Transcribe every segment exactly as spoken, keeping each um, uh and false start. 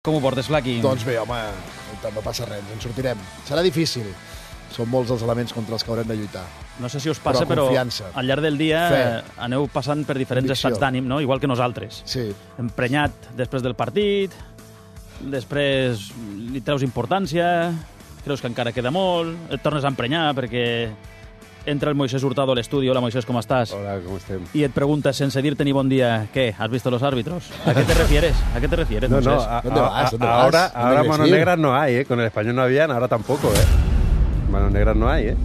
Com ho portes, Flaqui? Doncs bé, home, no passa res, ens en sortirem. Serà difícil. Són molts els elements contra els que haurem de lluitar. No sé si us passa, però, però al llarg del dia Fe. aneu passant per diferents Convicció. estats d'ànim, no? Igual que nosaltres. Sí. Emprenyat després del partit, després li treus importància, creus que encara queda molt, et tornes a emprenyar perquè entra el Moisés Hurtado a l'estudi. Hola, Moisés, ¿cómo estás? Hola, ¿cómo estem? Y et pregunta, sense dir-te ni bon dia, ¿qué? ¿Has visto los árbitros? ¿A qué te refieres? ¿A qué te refieres, No, Moisés? no, a, ¿Dónde a, vas? ¿Dónde ahora, vas? ¿Dónde ahora quieres manos ir? negras no hay, ¿eh? Con el español no habían, ahora tampoco, ¿eh? Manos negras no hay, ¿eh?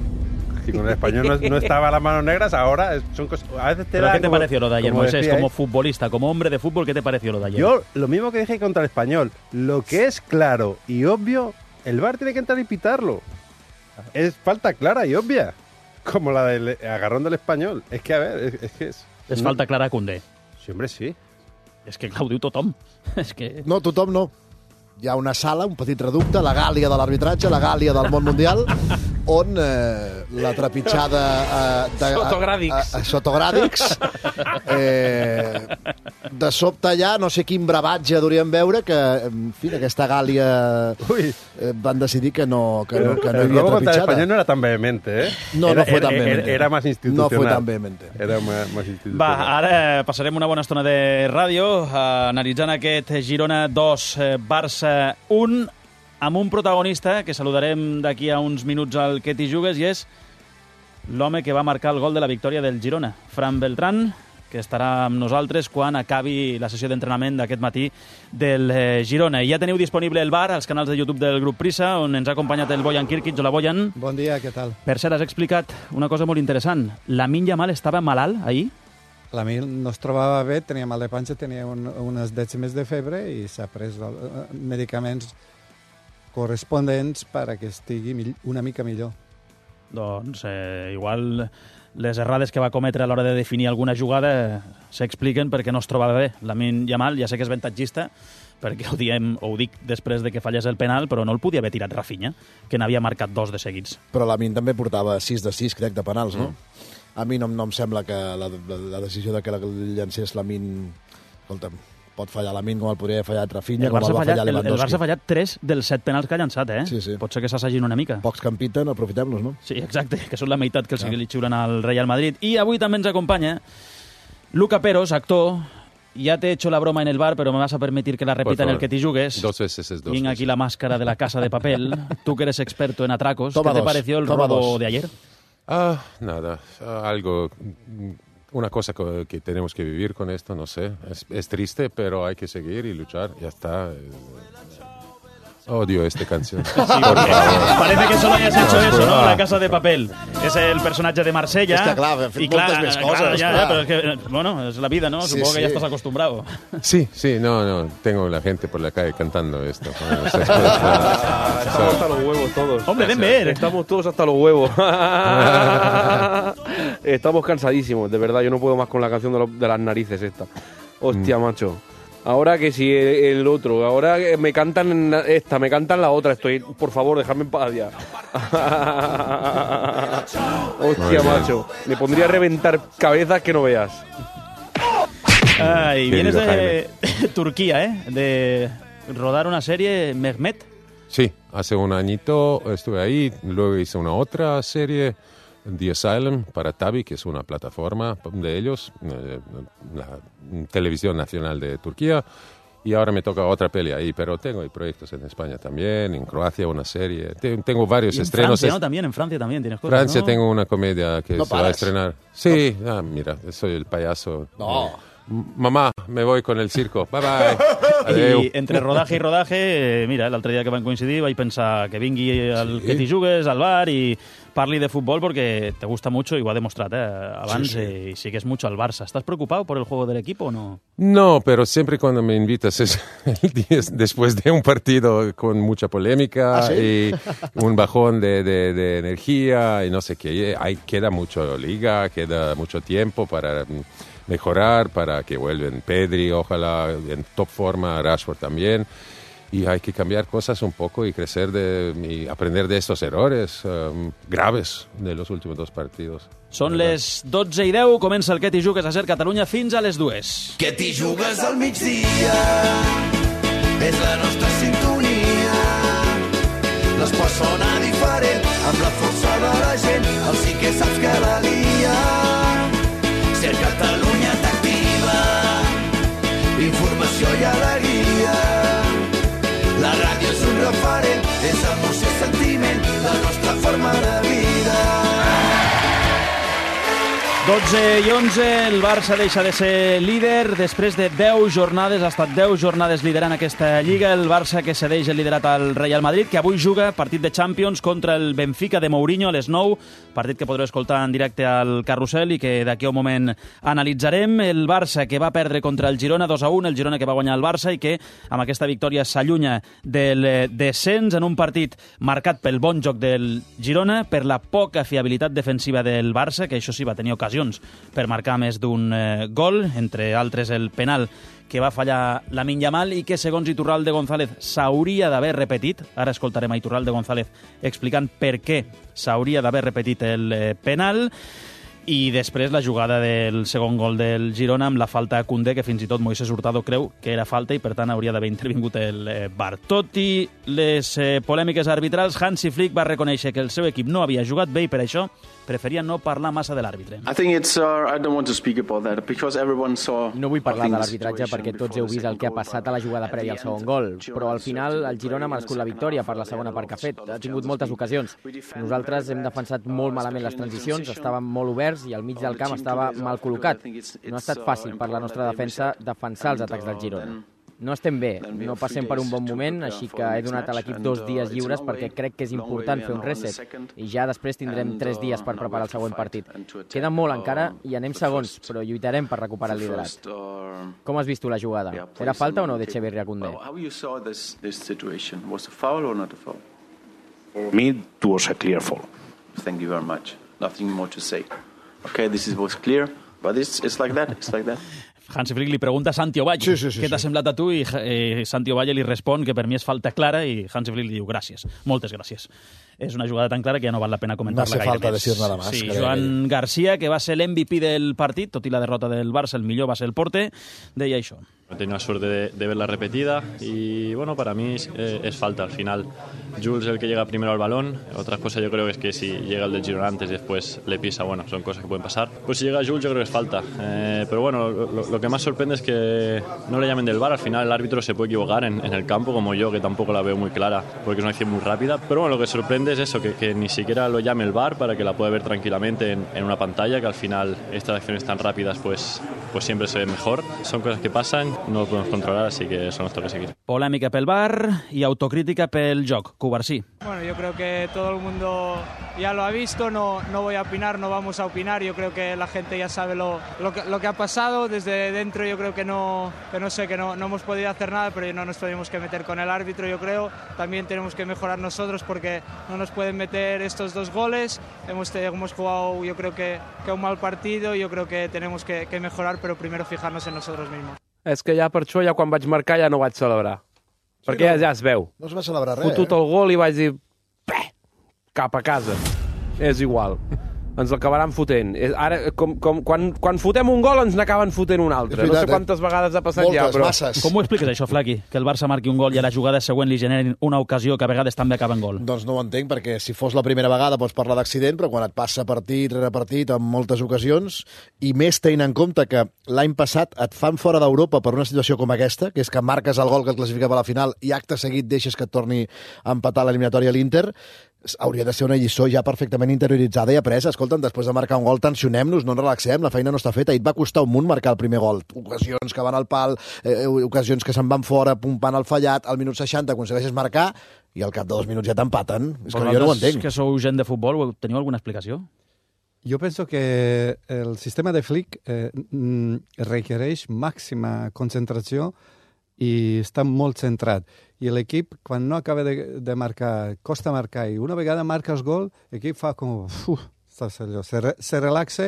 Si con el español no, no estaba las manos negras, ahora son cosas... A veces te ¿Pero da qué te como- pareció lo de ayer, como Moisés? decíais. Como futbolista, como hombre de fútbol, ¿qué te pareció lo de ayer? Yo, lo mismo que dije contra el español, lo que es claro y obvio, el V A R tiene que entrar y pitarlo. Es falta clara y obvia, como la del agarrón del español. Es que, a ver, es, es que es... És no- falta clara a Koundé. Sí, hombre, sí. És que, clar, ho diu tothom. És que... No, tothom no. Hi ha una sala, un petit reducte, la gàlia de l'arbitratge, la gàlia del món mundial, on eh, la trepitjada... Eh, de, Sotogràdics. A, a, a sotogràdics. Eh, de sobte allà, no sé quin bravatge hauríem veure, que, en fi, aquesta gàlia Uy. eh, van decidir que no, que no, que no hi el havia robo contra el trepitjada. español no era tan vehemente, ¿eh? No, era, no fue era- tan era- vehemente. Era más institucional. No fue tan vehemente. Era más, más institucional. Va, ara passarem una bona estona de ràdio eh, analitzant aquest Girona dos, eh, Barça un, amb un protagonista que saludarem d'aquí a uns minuts al Que t'hi jugues, i és l'home que va marcar el gol de la victòria del Girona, Fran Beltrán, que estarà amb nosaltres quan acabi la sessió d'entrenament d'aquest matí del eh, Girona. I ja teniu disponible el V A R als canals de YouTube del grup Prisa, on ens ha acompanyat el Bojan Kirkic. Hola, Bojan. Bon dia, què tal? Per cert, has explicat una cosa molt interessant. Lamine Yamal estava malalt ahir? La Mil no es trobava bé, tenia mal de panxa, tenia un, unes dècimes de febre i s'ha pres el, eh, medicaments corresponents perquè estigui mill- una mica millor. Doncs eh, igual les errades que va cometre a l'hora de definir alguna jugada eh, s'expliquen perquè no es trobava bé. Lamine Yamal, ja sé que és avantatgista, perquè ho, diem, o ho dic després de que fallés el penal, però no el podia haver tirat Rafinha, que n'havia marcat dos de seguits. Però la Min també portava sis de sis, crec, de penals, no? A mi no, no em sembla que la, la, la decisió de que la llancés la Min... Escolta'm, pot fallar la Min com el podria haver fallat Rafinha, El com Barça, el va fallat, fallar el, el Lewandowski. Barça ha fallat tres dels set penals que ha llançat, eh? Sí, sí. Pot ser que s'assagin una mica. Pocs que en piten, aprofitem-los, no? Sí, exacte, que són la meitat que els que li xiulen al Real Madrid. I avui també ens acompanya Luca Peros, actor. Ya te he hecho la broma en el bar, pero me vas a permitir que la repita en el Que t'hi jugues. Dos veces es dos Venga aquí veces. la máscara de la Casa de Papel. Tú que eres experto en atracos. Toma ¿Qué te dos, pareció el toma robo dos. de ayer? Ah, nada, ah, algo, mm, una cosa co- que tenemos que vivir con esto, no sé. Es, es triste, pero hay que seguir y luchar, ya está. Eh, Odio esta canción. Por favor. Parece que solo hayas hecho eso, ¿no? La Casa de Papel. Es el personaje de Marsella. És que, clar, hem fet moltes més coses, Claro, ya, clar. ya, pero es que, eh, bueno, es la vida, ¿no? Sí, Supongo que ya sí. estás acostumbrado. Sí, sí, no, no, tengo la gente por la calle cantando esto. Bueno, eso es- Ah, estamos hasta los huevos todos. Hombre, den ver. Estamos todos hasta los huevos. Estamos cansadísimos, de verdad. Yo no puedo más con la canción de, los- de las narices esta. Hostia, macho. Ahora que si el, el otro, ahora que me cantan esta, me cantan la otra. Estoy, por favor, dejadme en paz ya. Muy Hostia, bien. macho. Me pondría a reventar cabezas que no veas. Ay, vienes Querido de Turquía, ¿eh? De rodar una serie, Mehmet. Sí, hace un añito estuve ahí, luego hice una otra serie, The Asylum, para Tabi, que es una plataforma de ellos, eh, la televisión nacional de Turquía, y ahora me toca otra peli ahí, pero tengo ahí proyectos en España también, en Croacia una serie, Te- tengo varios Y en estrenos. Francia, Es- ¿no? También en Francia también tienes cosas, Francia ¿no? tengo una comedia que No se va a pares. estrenar. Sí, ah, mira, soy el payaso. No. Eh, m- mamá, me voy con el circo. Bye bye. Adeu. I entre rodatge i rodatge, eh, mira, l'altre dia que van coincidir vaig pensar que vingui al Sí. Que t'hi jugues, al bar, i parli de fútbol porque te gusta mucho y ho ha demostrat eh, abans, Sí, sí. eh, y sigues mucho al Barça. ¿Estás preocupado por el juego del equipo o no? No, pero siempre cuando me invitas es el día después de un partido con mucha polémica ¿Ah, sí? y un bajón de, de- de energía y no sé qué. Hay, queda mucho liga, queda mucho tiempo para mm, mejorar, para que vuelvan Pedri, ojalá en top forma, Rashford también. Y hay que cambiar cosas un poco y crecer de, y aprender de estos errores um, graves de los últimos dos partidos. Són les dotze i deu, comença el Que t'hi jugues a Ser Catalunya fins a les dues. Que t'hi jugues al migdia és la nostra sintonia. L'esport sona diferent, amb la força de la gent, el sí que saps que la lia. Si el Catalunya t'activa, informació i alegria. La ràdio és un referent, és emoció i sentiment, la nostra forma de vida. dotze i onze, el Barça deixa de ser líder. Després de deu jornades, ha estat deu jornades liderant aquesta Lliga. El Barça que cedeix el liderat al Real Madrid, que avui juga partit de Champions contra el Benfica de Mourinho a les nou. Partit que podreu escoltar en directe al Carrusel i que d'aquí a un moment analitzarem. El Barça que va perdre contra el Girona dos a un, el Girona que va guanyar el Barça i que amb aquesta victòria s'allunya del descens en un partit marcat pel bon joc del Girona, per la poca fiabilitat defensiva del Barça, que això sí va tenir ocasió per marcar més d'un eh, gol, entre altres el penal que va fallar Lamine Yamal i que, segons Iturralde González, s'hauria d'haver repetit. Ara escoltarem a Iturralde González explicant per què s'hauria d'haver repetit el eh, penal. I després la jugada del segon gol del Girona amb la falta a Koundé, que fins i tot Moisés Hurtado creu que era falta i per tant hauria d'haver intervingut el eh, V A R. Tot i les eh, polèmiques arbitrals, Hansi Flick va reconèixer que el seu equip no havia jugat bé i per això preferia no parlar massa de l'àrbitre. I think it's, uh, I don't want to speak about that because everyone saw. No vull parlar de l'arbitratge perquè tots heu vist el que ha passat a la jugada prèvia al segon gol, però al final el Girona ha merescut la victòria per la segona part que ha fet. Ha tingut moltes ocasions. Nosaltres hem defensat molt malament les transicions, estàvem molt oberts i al mig del camp estava mal col·locat. No ha estat fàcil per la nostra defensa defensar els atacs del Girona. No estem bé, no passem per un bon moment, així que he donat a l'equip dos dies lliures perquè crec que és important fer un reset i ja després tindrem tres dies per preparar el següent partit. Queda molt encara i anem segons, però lluitarem per recuperar el liderat. Com has vist tu la jugada? Era falta o no de Echeverri a Koundé? For me, it was a clear foul. Thank you very much. Nothing more to say. Okay, this is was clear, but it's, it's like that, it's like that. Hansi Flick li pregunta a Santi Ovalle sí, sí, sí, què t'ha sí. semblat a tu i eh, Santi Ovalle li respon que per mi és falta clara i Hansi Flick li diu gràcies, moltes gràcies. És una jugada tan clara que ja no val la pena comentar-la gaire falta més. decir nada más. Sí, Joan García, que va ser l'M V P del partit, tot i la derrota del Barça, el millor va ser el porter, deia això. He tenido la suerte de, de verla repetida y bueno, para mí es, eh, es falta. Al final, Jules es el que llega primero al balón. Otra cosa yo creo que es que si llega el del Girona antes y después le pisa, bueno, son cosas que pueden pasar. Pues si llega Jules yo creo que es falta. Eh, pero bueno, lo, lo que más sorprende es que no le llamen del V A R. Al final el árbitro se puede equivocar en, en el campo, como yo, que tampoco la veo muy clara, porque es una acción muy rápida. Pero bueno, lo que sorprende es eso, que, que ni siquiera lo llame el V A R para que la pueda ver tranquilamente en, en una pantalla, que al final estas acciones tan rápidas pues, pues siempre se ven mejor. Son cosas que pasan, no lo podemos controlar, así que eso nos toca seguir. Polèmica pel V A R y autocrítica pel joc. Cubarsí. Bueno, yo creo que todo el mundo ya lo ha visto, no, no voy a opinar, no vamos a opinar, yo creo que la gente ya sabe lo, lo, que, lo que ha pasado, desde dentro yo creo que no, que no sé, que no, no hemos podido hacer nada, pero no nos tenemos que meter con el árbitro, yo creo, también tenemos que mejorar nosotros porque no nos pueden meter estos dos goles, hemos, hemos jugado yo creo que, que un mal partido, yo creo que tenemos que, que mejorar, pero primero fijarnos en nosotros mismos. És que ja per això, ja quan vaig marcar, ja no vaig celebrar. Sí, perquè no, ja, ja es veu. No es va celebrar res, Fotut eh? el gol i vaig dir... Peh, cap a casa. És igual. Ens l'acabaran fotent. Ara, com, com, quan, quan fotem un gol, ens n'acaben fotent un altre. Veritat, no sé quantes eh? vegades ha passat Moltes, ja, però... masses. Com ho expliques, això, Flaqui? Que el Barça marqui un gol i a la jugada següent li generin una ocasió que a vegades també acaba en gol. Doncs no ho entenc, perquè si fos la primera vegada pots parlar d'accident, però quan et passa partit rere partit en moltes ocasions, i més tenint en compte que l'any passat et fan fora d'Europa per una situació com aquesta, que és que marques el gol que et classificava a la final i acte seguit deixes que et torni a empatar l'eliminatòria a l'Inter, hauria de ser una lliçó ja perfectament interioritzada i apresa. Escolta'm, després de marcar un gol, tensionem-nos, no ens relaxem, la feina no està feta. I et va costar un munt marcar el primer gol. Ocasions que van al pal, eh, ocasions que se'n van fora, pumpant el fallat, al minut seixanta aconsegueixes marcar i al cap de dos minuts ja t'empaten. És que jo no ho entenc. Que sou gent de futbol, teniu alguna explicació? Jo penso que el sistema de Flick eh, requereix màxima concentració i està molt centrat. I l'equip, quan no acaba de, de marcar, costa marcar, i una vegada marques gol, l'equip fa com... Uf, allò, se, re, se relaxa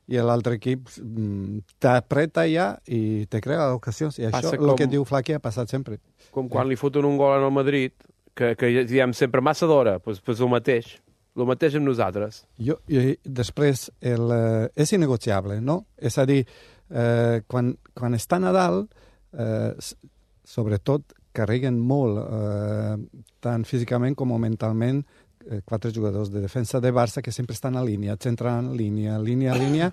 i l'altre equip mm, t'apreta ja i te crea ocasions. I això, el que diu Flaqui, ha passat sempre. Com quan li foten un gol en el Madrid, que, que diem sempre massa d'hora, doncs, doncs el mateix. El mateix amb nosaltres. Jo, i després, el, eh, és innegociable, no? És a dir, eh, quan, quan està Nadal, eh, sobretot carreguen molt, eh, tant físicament com mentalment, eh, quatre jugadors de defensa de Barça que sempre estan a línia, centrant línia, línia, línia.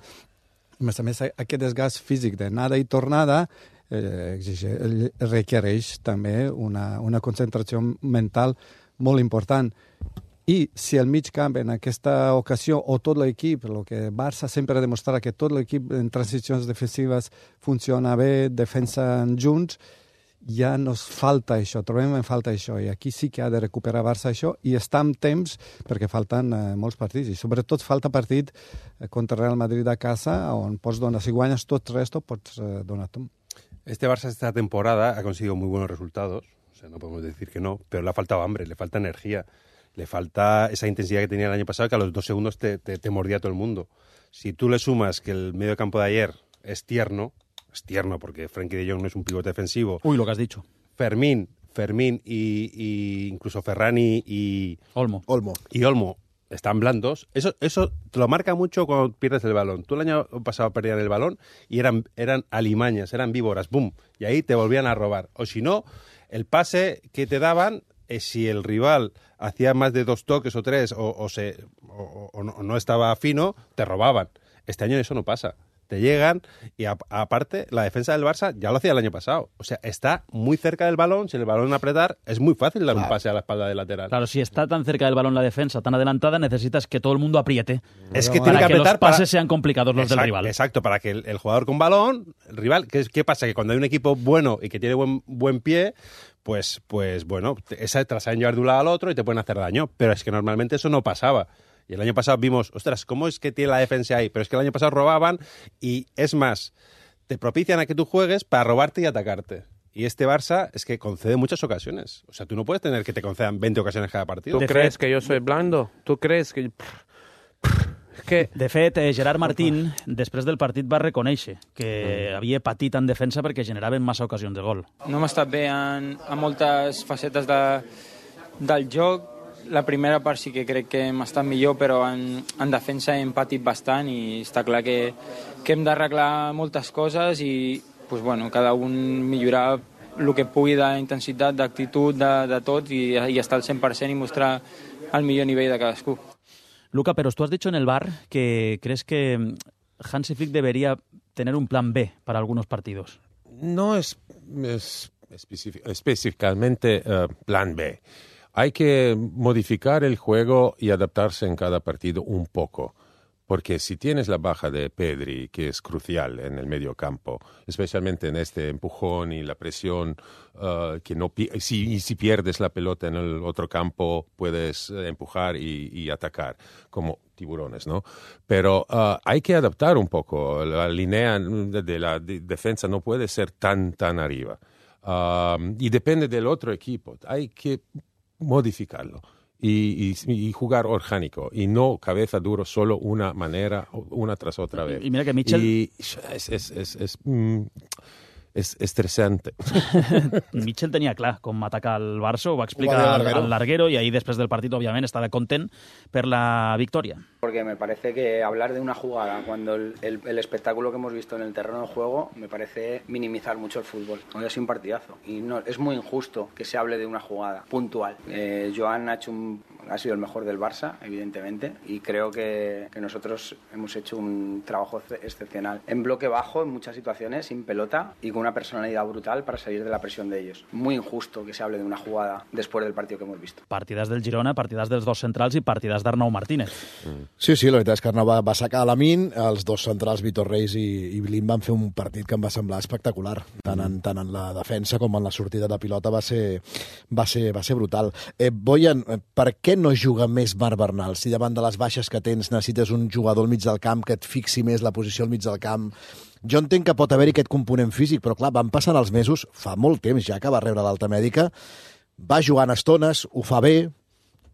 A més a més, aquest desgast físic d'anada i tornada eh, exige, requereix també una, una concentració mental molt important. I si el mig camp en aquesta ocasió, o tot l'equip, el que Barça sempre ha demostrat que tot l'equip en transicions defensives funciona bé, defensen junts, ja nos falta això, trobem en falta això, i aquí sí que ha de recuperar Barça això, i està amb temps perquè falten eh, molts partits, i sobretot falta partit eh, contra Real Madrid a casa, on pots donar, si guanyes tot el resto, pots eh, donar tu. Este Barça esta temporada ha conseguido muy buenos resultados, o sea, no podemos decir que no, pero le ha faltado hambre, le falta energía, le falta esa intensidad que tenía el año pasado, que a los dos segundos te, te, te mordía todo el mundo. Si tú le sumas que el medio campo de ayer es tierno, es tierno porque Frenkie de Jong no es un pivote defensivo. Uy, lo que has dicho. Fermín, Fermín y, y incluso Ferrani y Olmo. Olmo. Y Olmo están blandos. Eso, eso te lo marca mucho cuando pierdes el balón. Tú el año pasado perdías el balón y eran, eran alimañas, eran víboras, boom. Y ahí te volvían a robar. O si no, el pase que te daban, eh, si el rival hacía más de dos toques o tres o, o, se, o, o, no, o no estaba fino, te robaban. Este año eso no pasa. Te llegan y a, aparte la defensa del Barça ya lo hacía el año pasado. O sea, está muy cerca del balón, si el balón apretar es muy fácil dar claro. un pase a la espalda del lateral. Claro, si está tan cerca del balón la defensa, tan adelantada, necesitas que todo el mundo apriete. Es que para tiene que que apretar los pases para... sean complicados los exacto, del rival. Exacto, para que el, el jugador con balón, el rival, ¿qué, ¿qué pasa? Que cuando hay un equipo bueno y que tiene buen, buen pie, pues, pues bueno, esa te la saben llevar de un lado al otro y te pueden hacer daño. Pero es que normalmente eso no pasaba. Y el año pasado vimos, ostras, ¿cómo es que tiene la defensa ahí? Pero es que el año pasado robaban y, es más, te propician a que tú juegues para robarte y atacarte. Y este Barça es que concede muchas ocasiones. O sea, tú no puedes tener que te concedan veinte ocasiones cada partido. ¿Tú de crees fet... que yo soy blando? ¿Tú crees que...? que... De fet, eh, Gerard Martín, després del partit, va reconèixer que mm. havia patit en defensa perquè generaven massa ocasions de gol. No hem estat bé en, en moltes facetes de, del joc. La primera part sí que crec que hem estat millor, però en, en defensa hem patit bastant i està clar que, que hem d'arreglar moltes coses i pues, bueno, cada un millorar el que pugui d'intensitat, d'actitud, de, de tot i, i estar al cent per cent i mostrar el millor nivell de cadascú. Luca, pero tú has dicho en el bar que crees que Hansi Flick debería tener un plan B para algunos partidos. No es, es específic, específicamente uh, plan B. Hay que modificar el juego y adaptarse en cada partido un poco, porque si tienes la baja de Pedri, que es crucial en el medio campo, especialmente en este empujón y la presión, uh, que no si, y si pierdes la pelota en el otro campo, puedes empujar y, y atacar, como tiburones, ¿no? Pero uh, hay que adaptar un poco. La línea de, de la de defensa no puede ser tan, tan arriba. Uh, y depende del otro equipo. Hay que modificarlo y, y, y jugar orgánico y no cabeza duro solo una manera, una tras otra vez. Y, y mira que Mitchell... Y es, es, es, es, mm, és estressante. Mitchell tenia clar com atacar el Barça, ho va explicar ho al, al larguero y ahí después del partido obviament estava content per la victoria. Porque me parece que hablar de una jugada cuando el, el, el espectáculo que hemos visto en el terreno de juego me parece minimizar mucho el fútbol. Hoy ha sido un partidazo y no, es muy injusto que se hable de una jugada puntual. Eh, Joan ha hecho un ha sido el mejor del Barça, evidentemente, y creo que, que nosotros hemos hecho un trabajo excepcional. En bloque bajo, en muchas situaciones, sin pelota y con una personalidad brutal para salir de la presión de ellos. Muy injusto que se hable de una jugada después del partido que hemos visto. Partides del Girona, partides dels dos centrals i partides d'Arnau Martínez. Mm. Sí, sí, la veritat és que Arnau va, va sacar a la min, els dos centrals, Vitor Reis i, i Blin, van fer un partit que em va semblar espectacular. Tant en, tant en la defensa com en la sortida de pilota va ser, va ser, va ser brutal. Eh, Boyan, per què no juga més Marc Bernal? Si davant de les baixes que tens necessites un jugador al mig del camp que et fixi més la posició al mig del camp. Jo entenc que pot haver-hi aquest component físic, però clar, van passant els mesos, fa molt temps ja que va rebre l'alta mèdica, va jugant estones, ho fa bé,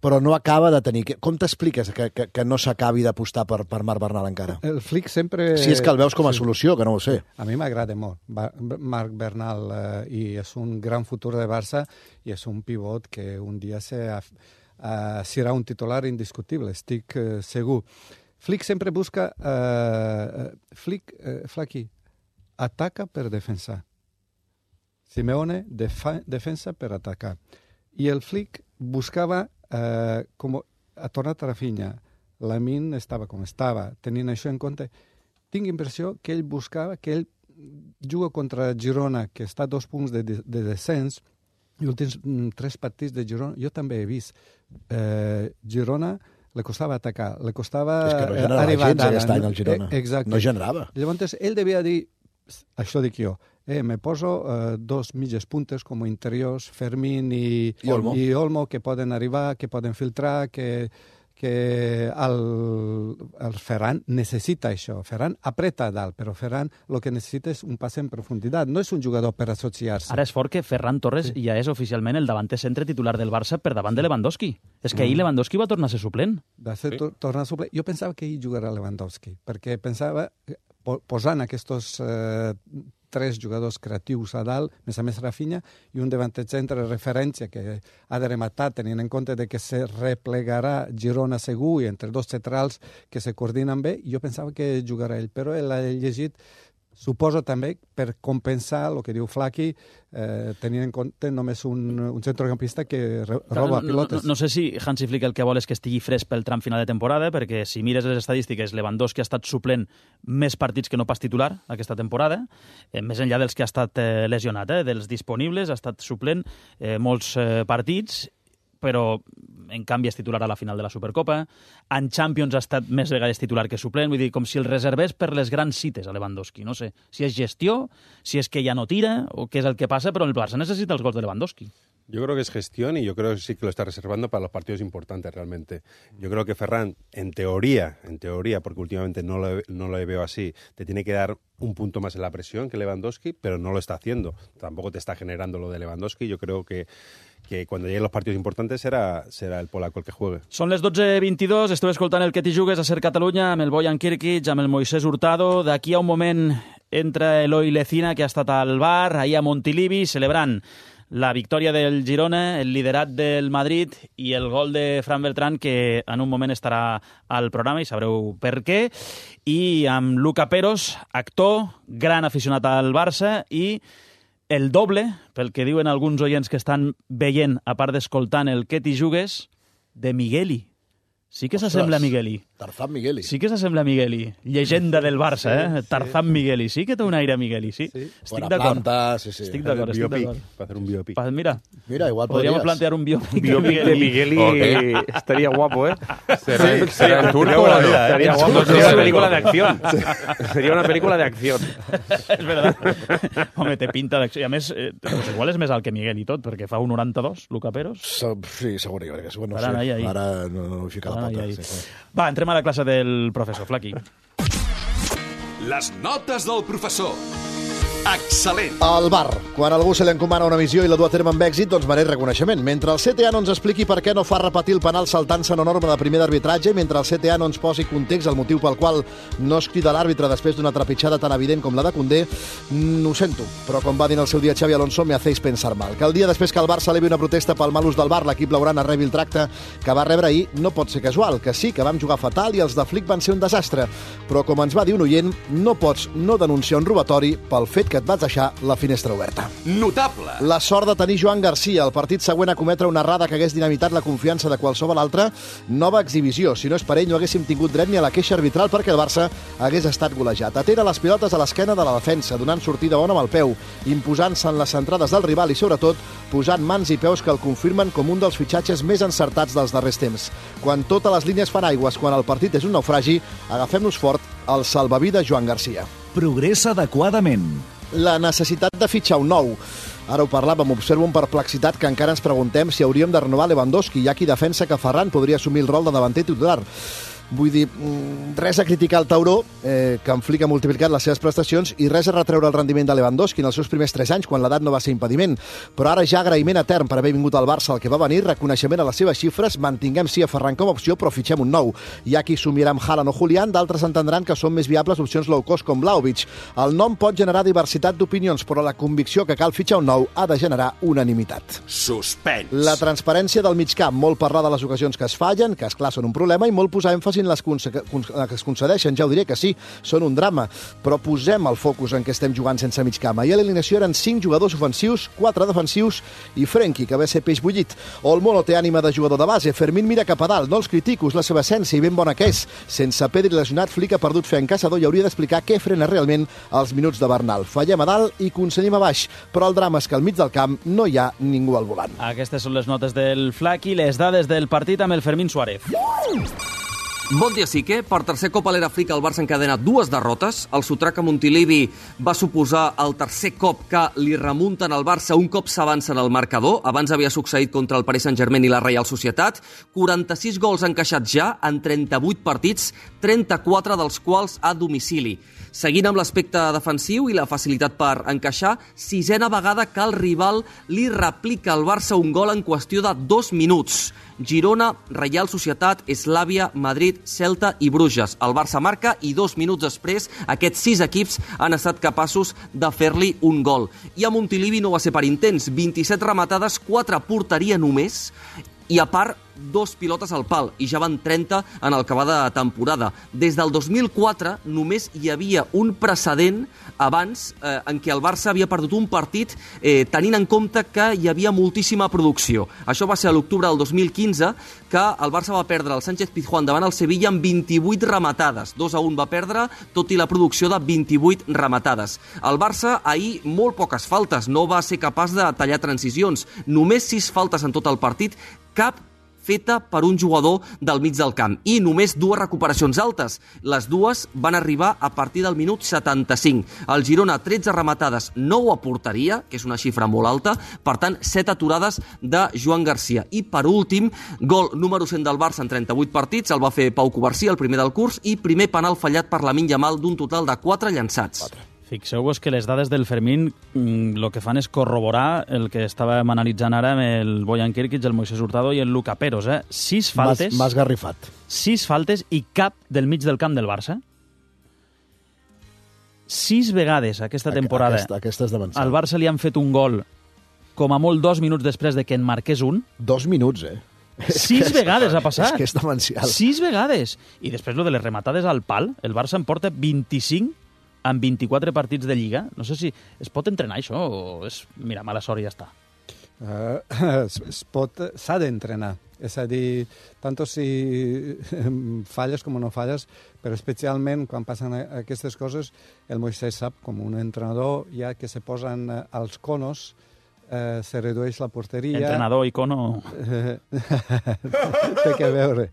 però no acaba de tenir... Com t'expliques que, que, que no s'acabi d'apostar per, per Marc Bernal encara? El Flick sempre... Si és que el veus com a sí. solució, que no ho sé. A mi m'agrada molt Marc Bernal eh, i és un gran futur de Barça i és un pivot que un dia se... Uh, serà un titular indiscutible, estic uh, segur. Flick sempre busca... Uh, Flick, uh, Flaky, ataca per defensar. Simeone defa- defensa per atacar. I el Flick buscava, eh, com ha tornat a Rafinha, Lamine estava com estava, tenint això en compte, tinc impressió que ell buscava, que ell juga contra Girona, que està a dos punts de, de, de descens, i els últims mm, tres partits de Girona, jo també he vist eh, Girona, le costava atacar, le costava és que no eh, generava arribar gens aquest any al Girona. Eh, exacte. No generava. Llavors, ell devia dir, això dic jo, eh, me poso eh, dos mitges puntes com interiors, Fermín i, I Olmo. i Olmo, que poden arribar, que poden filtrar, que que el, el Ferran necessita això. Ferran apreta a dalt, però Ferran el que necessita és un pas en profunditat. No és un jugador per associar-se. Ara és fort que Ferran Torres sí. ja és oficialment el davanter centre titular del Barça per davant de Lewandowski. És que ahir Lewandowski va tornar a ser suplent. Va ser sí. tornar a suplent. Jo pensava que ell jugarà Lewandowski, perquè pensava, posant aquests eh, tres jugadors creatius a dalt, més a més Rafinha, i un davanter centre de referència que ha de rematar, tenint en compte de que se replegarà Girona segur i entre dos centrals que se coordinen bé, jo pensava que jugarà ell, però ell ha llegit, suposo també, per compensar el que diu Flaqui, eh, tenint en compte només un, un centrocampista que re, roba no, pilotes. No, no sé si Hansi Flick el que vol és que estigui fresc pel tram final de temporada, perquè si mires les estadístiques, Lewandowski ha estat suplent més partits que no pas titular aquesta temporada, eh, més enllà dels que ha estat eh, lesionat, eh, dels disponibles, ha estat suplent eh, molts eh, partits, però en canvi és titular a la final de la Supercopa. En Champions ha estat més vegades titular que suplent, vull dir, com si el reservés per les grans cites a Lewandowski. No sé si és gestió, si és que ja no tira, o què és el que passa, però el Barça necessita els gols de Lewandowski. Yo creo que es gestión y yo creo que sí que lo está reservando para los partidos importantes realmente. Yo creo que Ferran, en teoría, en teoría, porque últimamente no lo, no lo veo así, te tiene que dar un punto más en la presión que Lewandowski, pero no lo está haciendo. Tampoco te está generando lo de Lewandowski. Yo creo que que cuando lleguen los partidos importantes serà, serà el polaco el que juegue. Són les dotze vint-i-dos, esteu escoltant el Que t'hi jugues a Ser Catalunya amb el Bojan Kirkic, amb el Moisés Hurtado. D'aquí a un moment entra Eloi Lecina, que ha estat al bar, ahir a Montilivi, celebrant la victòria del Girona, el liderat del Madrid i el gol de Fran Beltrán, que en un moment estarà al programa i sabreu per què. I amb Luca Peros, actor, gran aficionat al Barça i el doble, pel que diuen alguns oients que estan veient, a part d'escoltant el Que t'hi jugues, de Migueli. Sí que s'assembla a Migueli. Tarzán Migueli. Sí que s'assembla a Migueli. Llegenda del Barça, sí, eh? Tarzán sí. Migueli. Sí que té un aire a Migueli, sí. sí. Estic d'acord. Sí, sí. Estic d'acord, estic d'acord. Va fer un biopic. Pa, mira, mira, igual podríem podries. plantear un biopic, Un biopic de Migueli Okay. estaría guapo, ¿eh? ¿Será, sí, será en turco o la vida? Estaría guapo. No, Sería no, una no, película no. de acción. Sería una película de acción. És veritat. Home, té pinta d'acció. I a més, eh, doncs igual és més alt que Miguel i tot, perquè fa un noranta-dos, Luca Peros. Sí, segur que és. Bueno, no Ara, sé. ahí, ahí. Ara no, no vull ficar la Ahí, pota. ahí. Sí, sí. Va, entrem a la classe del professor Flaqui. Les notes del professor. Excel·lent. Al bar, quan algú se li encomana una missió i la du a terme amb èxit, doncs mereix reconeixement. Mentre el C T A no ens expliqui per què no fa repetir el penal saltant-se una norma de primer d'arbitratge, mentre el C T A no ens posi context el motiu pel qual no es crida l'àrbitre després d'una trepitjada tan evident com la de Koundé, mm, ho sento, però com va dir en el seu dia Xavi Alonso, me hacéis pensar mal. Que el dia després que el Barça elevi una protesta pel mal ús del bar, l'equip blaugrana rebi el tracte que va rebre ahir, no pot ser casual, que sí, que vam jugar fatal i els de Flick van ser un desastre. Però com ens va dir un oient, no pots no denunciar un robatori pel fet que et vas deixar la finestra oberta. Notable. La sort de tenir Joan Garcia, el partit següent a cometre una errada que hagués dinamitat la confiança de qualsevol altre, nova exhibició. Si no és per ell, no haguéssim tingut dret ni a la queixa arbitral perquè el Barça hagués estat golejat. Atera les pilotes a l'esquena de la defensa, donant sortida bona amb el peu, imposant-se en les centrades del rival i, sobretot, posant mans i peus que el confirmen com un dels fitxatges més encertats dels darrers temps. Quan totes les línies fan aigües, quan el partit és un naufragi, agafem-nos fort al salvavides Joan Garcia. Progressa adequadament. La necessitat de fitxar un nou. Ara ho parlàvem, observo amb perplexitat que encara ens preguntem si hauríem de renovar Lewandowski. Hi ha qui defensa que Ferran podria assumir el rol de davanter titular. Vull dir, res a criticar el tauró, eh, que en Flick ha multiplicat les seves prestacions, i res a retreure el rendiment de Lewandowski en els seus primers tres anys, quan l'edat no va ser impediment. Però ara ja agraïment etern per haver vingut al Barça el que va venir, reconeixement a les seves xifres, mantinguem sí a Ferran com a opció, però fitxem un nou. Hi ha qui somiarà amb Haaland o Julián, d'altres entendran que són més viables opcions low cost com Vlahovic. El nom pot generar diversitat d'opinions, però la convicció que cal fitxar un nou ha de generar unanimitat. Suspens. La transparència del migcamp, molt parlar de les ocasions que es fallen, que esclar són un problema, i molt posar èmfasi concedeixin les que es concedeixen, ja ho diré que sí, són un drama, però posem el focus en què estem jugant sense mig camp. Ahir a l'alineació eren cinc jugadors ofensius, quatre defensius i Frenkie, que ve a ser peix bullit. Olmo no té ànima de jugador de base, Fermín mira cap a dalt, no els critico, és la seva essència i ben bona que és. Sense Pedri lesionat, Flick ha perdut fe en caçador i hauria d'explicar què frena realment els minuts de Bernal. Fallem a dalt i concedim a baix, però el drama és que al mig del camp no hi ha ningú al volant. Aquestes són les notes del Flaqui, les dades del partit amb el Fermín Suárez. Bon dia, Sique. Per tercer cop a l'era Flick el Barça encadena dues derrotes. El sotrac a Montilivi va suposar el tercer cop que li remunten al Barça un cop s'avança en el marcador. Abans havia succeït contra el Paris Saint-Germain i la Reial Societat. quaranta-sis gols encaixats ja en trenta-vuit partits, trenta-quatre dels quals a domicili. Seguint amb l'aspecte defensiu i la facilitat per encaixar, sisena vegada que el rival li replica al Barça un gol en qüestió de dos minuts. Girona, Reial Societat, Eslàvia, Madrid, Celta i Bruges. El Barça marca i dos minuts després aquests sis equips han estat capaços de fer-li un gol. I a Montilivi no va ser per intents, vint-i-set rematades, quatre a porteria només, i a part dos pilotes al pal, i ja van trenta en el que va de temporada. Des del dos mil quatre només hi havia un precedent abans eh, en què el Barça havia perdut un partit eh, tenint en compte que hi havia moltíssima producció. Això va ser a l'octubre del dos mil quinze, que el Barça va perdre el Sánchez Pizjuán davant el Sevilla amb vint-i-vuit rematades. dos a un va perdre, tot i la producció de vint-i-vuit rematades. El Barça ahir molt poques faltes, no va ser capaç de tallar transicions. Només sis faltes en tot el partit, cap feta per un jugador del mig del camp, i només dues recuperacions altes. Les dues van arribar a partir del minut setanta-cinc. El Girona, tretze rematades, nou a porteria, que és una xifra molt alta, per tant, set aturades de Joan Garcia. I per últim, gol número cent del Barça en trenta-vuit partits, el va fer Pau Covarsí, el primer del curs, i primer penal fallat per Lamine Yamal d'un total de quatre llançats. Fixeu-vos que les dades del Fermín el que fan és corroborar el que estàvem analitzant ara amb el Bojan Kirkic, el Moisés Hurtado i el Luka Peros. Eh? Sis faltes... M'has garrifat. Sis faltes i cap del mig del camp del Barça. Sis vegades aquesta temporada aquesta, aquesta és demencial. al Barça li han fet un gol com a molt dos minuts després de que en marqués un. Dos minuts, eh? Sis és vegades ha passat. És que és demencial. Sis vegades. I després lo de les rematades al pal, el Barça en porta vint-i-cinc en vint-i-quatre partits de Lliga. No sé si es pot entrenar això o és, mira, mala sort i ja està. Uh, es pot, s'ha d'entrenar. És a dir, tant si falles com no falles, però especialment quan passen aquestes coses, el Moisés sap, com un entrenador, ja que se posen als conos, eh, se redueix la porteria... Entrenador i cono... Té que veure.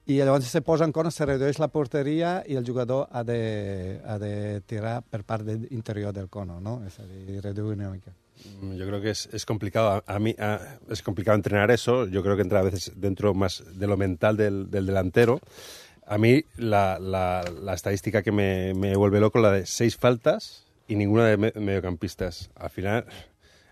I llavors se posa en cono, se redueix la porteria i el jugador ha de, ha de tirar per part de interior del cono, ¿no? És a dir, reduir una mica. Yo creo que es, es complicado. A, a mí a, es complicado entrenar eso. Yo creo que entra a veces dentro más de lo mental del, del delantero. A mí la, la, la estadística que me, me vuelve loco, la de seis faltas y ninguna de me, mediocampistas. Al final,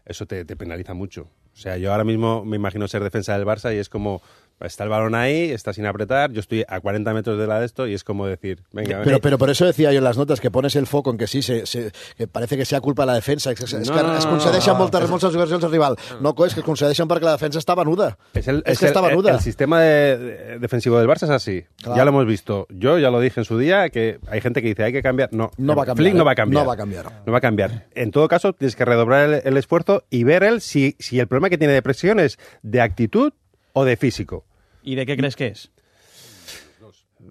eso te, te penaliza mucho. O sea, yo ahora mismo me imagino ser defensa del Barça y es como... Está el balón ahí, está sin apretar, yo estoy a cuarenta metros de la de esto y es como decir, venga, pero, pero por eso decía yo en las notas que pones el foco en que sí, se, se, que parece que sea culpa de la defensa, es, es no, que no, es concedeixen no, moltes, moltes ocasions al rival. No, és que es concedeixen perquè la defensa està venuda. Es, el, es es que el, está venuda. El, el sistema de, de, defensivo del Barça es así. Claro. Ya lo hemos visto. Yo ya lo dije en su día, que hay gente que dice hay que cambiar. No, no va a cambiar. Flick no va a cambiar. No va a cambiar. No va a cambiar. En todo caso, tienes que redoblar el, el esfuerzo y ver él si, si el problema que tiene de presión es de actitud o de físico. ¿Y de qué crees que es?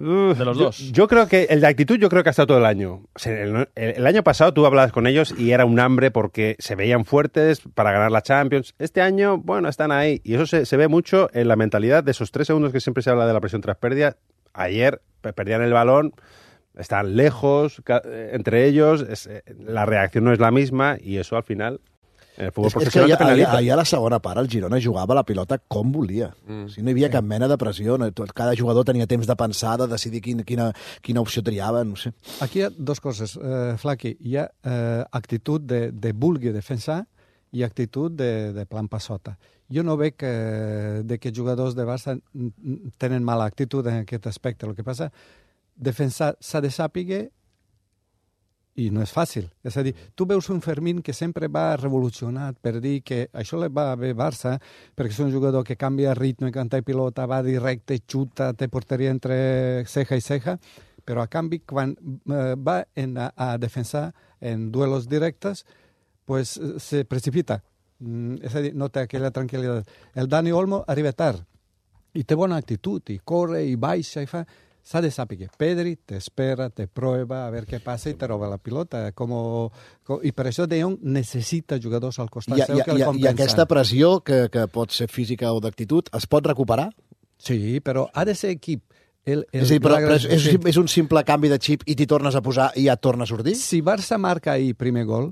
Uh, de los dos. Yo, yo creo que el de actitud yo creo que ha estado todo el año. O sea, el, el, el año pasado tú hablabas con ellos y era un hambre porque se veían fuertes para ganar la Champions. Este año, bueno, están ahí. Y eso se, se ve mucho en la mentalidad de esos tres segundos que siempre se habla de la presión tras pérdida. Ayer perdían el balón, están lejos entre ellos, es, la reacción no es la misma y eso al final... El futbol és, professional és que penalitza. Ahir a la segona part el Girona jugava la pilota com volia. Mm. O sigui, no hi havia cap mena de pressió. No, cada jugador tenia temps de pensar, de decidir quin, quina, quina opció triava, no sé. Aquí hi ha dos coses, eh, Flaqui. Hi ha eh, actitud de, de vulgui defensar i actitud de, de plan passota. Jo no veig que, de que jugadors de Barça tenen mala actitud en aquest aspecte. El que passa, defensar s'ha de sàpiga i no és fàcil. És a dir, tu veus un Fermín que sempre va revolucionat per dir que això li va bé Barça, perquè és un jugador que canvia ritme, canta i pilota, va directe, xuta, té porteria entre ceja i ceja, però a canvi, quan eh, va en, a, a defensar en duelos directes, pues se precipita. Mm, és a dir, no té aquella tranquil·litat. El Dani Olmo arriba tard i té bona actitud, i corre, i baixa, i fa... S'ha de saber. Pedri te espera, te prueba, a veure què passa i te roba la pilota. Como, com, I per això De Jong necessita jugadors al costat I, seu i, que li i, compensen. I aquesta pressió, que, que pot ser física o d'actitud, es pot recuperar? Sí, però ha de ser equip. El, el, és, a dir, però, però és, és, sí. és un simple canvi de xip i t'hi tornes a posar i ja et torna a sortir? Si Barça marca ahir primer gol,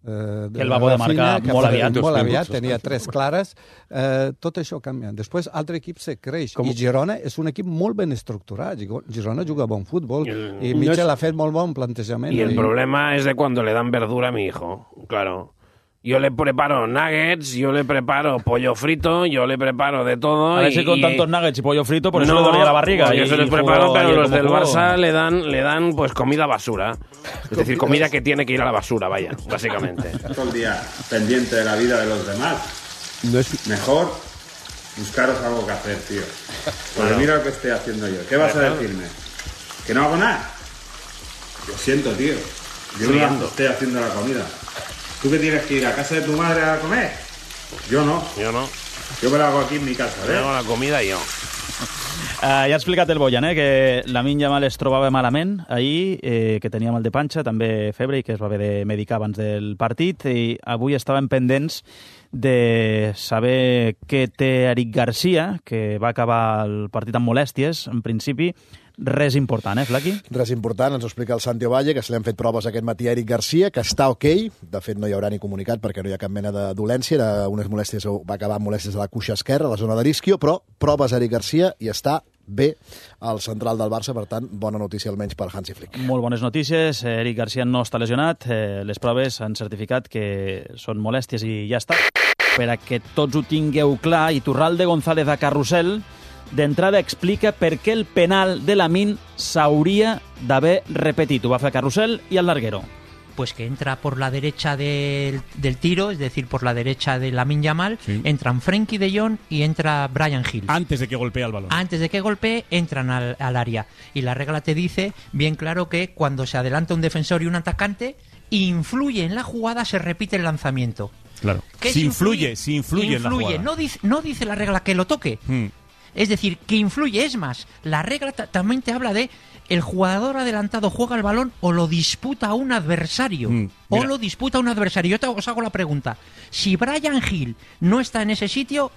Eh, que el va poder marcar molt aviat. Molt aviat, tenia tres clares. Eh, tot això canvia. Després, altre equip se creix. Com... I Girona és un equip molt ben estructurat. Girona juga bon futbol. El... I Michel no és... ha fet molt bon plantejament. Y el i... problema es de cuando le dan verdura a mi hijo. Claro. Yo le preparo nuggets, yo le preparo pollo frito, yo le preparo de todo. A ver y, si con y... tantos nuggets y pollo frito, por eso no, le dolía la barriga. Yo y, se los y preparo, pero los del jugó. Barça le dan, le dan pues comida basura. Es decir, comida que tiene que ir a la basura, vaya, básicamente. Todo el día pendiente de la vida de los demás. No es... Mejor buscaros algo que hacer, tío. Porque mira lo que estoy haciendo yo. ¿Qué vas a decirme? ¿Que no hago nada? Lo siento, tío. Yo no estoy haciendo la comida. ¿Tú que tienes que ir a casa de tu madre a comer? Yo no. Yo no. Yo me lo hago aquí en mi casa, ¿eh? Yo hago la comida yo. Uh, ja ha explicat el Boyan, eh, que Lamine Yamal es trobava malament ahir, eh, que tenia mal de panxa, també febre, i que es va haver de medicar abans del partit, i avui estaven pendents de saber què té Eric Garcia, que va acabar el partit amb molèsties, en principi. Res important, eh, Flaqui? Res important, ens ho explica el Santi Ovalle, que se li han fet proves aquest matí a Eric Garcia, que està ok, de fet no hi haurà ni comunicat perquè no hi ha cap mena de dolència, era unes molèsties, va acabar amb molèsties a la cuixa esquerra, a la zona de l'isquio, però proves a Eric Garcia i està bé al central del Barça, per tant, bona notícia almenys per Hansi Flick. Molt bones notícies, Eric Garcia no està lesionat, eh, les proves han certificat que són molèsties i ja està. Per a que tots ho tingueu clar, Iturralde González a Carrusel d'entrada explica per què el penal de Lamine s'hauria d'haver repetit. Ho va fer Carrusel i el larguero. Pues que entra por la derecha del, del tiro, es decir, por la derecha de Lamine Yamal, sí. Entran Frenkie de Jong y entra Bryan Gil. Antes de que golpee el balón. Antes de que golpee, entran al, al área. Y la regla te dice bien claro que cuando se adelanta un defensor y un atacante, influye en la jugada, se repite el lanzamiento. Claro. Si influye, si influye, influye en la jugada. No dice, no dice la regla que lo toque. Hmm. Es decir, que influye. Es más, la regla también te habla de el jugador adelantado juega el balón o lo disputa a un adversario. Mm, o lo disputa a un adversario. Yo te, os hago la pregunta. Si Bryan Gil no está en ese sitio,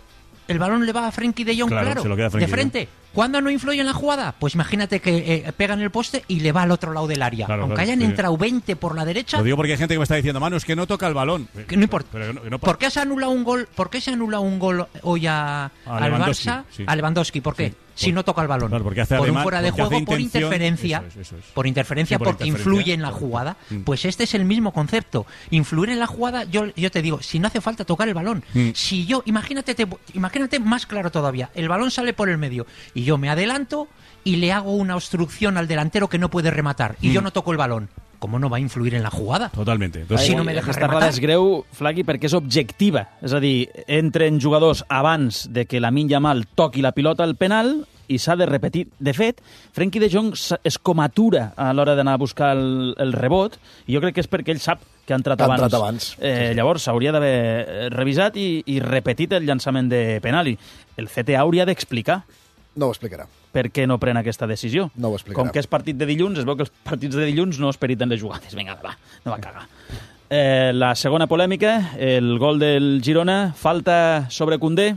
el balón le va a Frenkie de Jong, claro, claro se lo queda de frente. ¿No? ¿Cuándo no influye en la jugada? Pues imagínate que eh, pega en el poste y le va al otro lado del área. Claro, Aunque claro, hayan sí. entrado veinte por la derecha... Lo digo porque hay gente que me está diciendo, Manu, es que no toca el balón. Que no importa. Pero, pero no, no ¿Por qué se ha anulado un gol, ¿por qué se ha anulado un gol hoy a, a al Barça? Sí. A Lewandowski, ¿por qué? Sí. Si no toca el balón. Claro, porque hace por además, un fuera de juego, por interferencia. Eso es, eso es. Por interferencia, sí, por porque interferencia, influye en la jugada. Mm. Pues este es el mismo concepto. Influir en la jugada, yo, yo te digo, si no hace falta tocar el balón. Mm. Si yo, imagínate, te, imagínate más claro todavía, el balón sale por el medio y yo me adelanto y le hago una obstrucción al delantero que no puede rematar y mm. yo no toco el balón. ¿Cómo no va a influir en la jugada? Totalmente. Entonces, si no me deja Aquesta rematar... és greu, Flaqui, perquè és objectiva. És a dir, entren jugadors abans de que Lamine Yamal toqui la pilota al penal i s'ha de repetir. De fet, Frenkie de Jong es comatura a l'hora d'anar a buscar el, el rebot i jo crec que és perquè ell sap que ha entrat ha abans. Entrat abans. Eh, sí, sí. Llavors s'hauria d'haver revisat i, i repetit el llançament de penal. I el C T A hauria d'explicar. No ho explicarà. Per què no pren aquesta decisió? No ho explicarà. Com que és partit de dilluns, es veu que els partits de dilluns no esperiten les jugades. Vinga, va, no va cagar. Eh, la segona polèmica, el gol del Girona, falta sobre Koundé.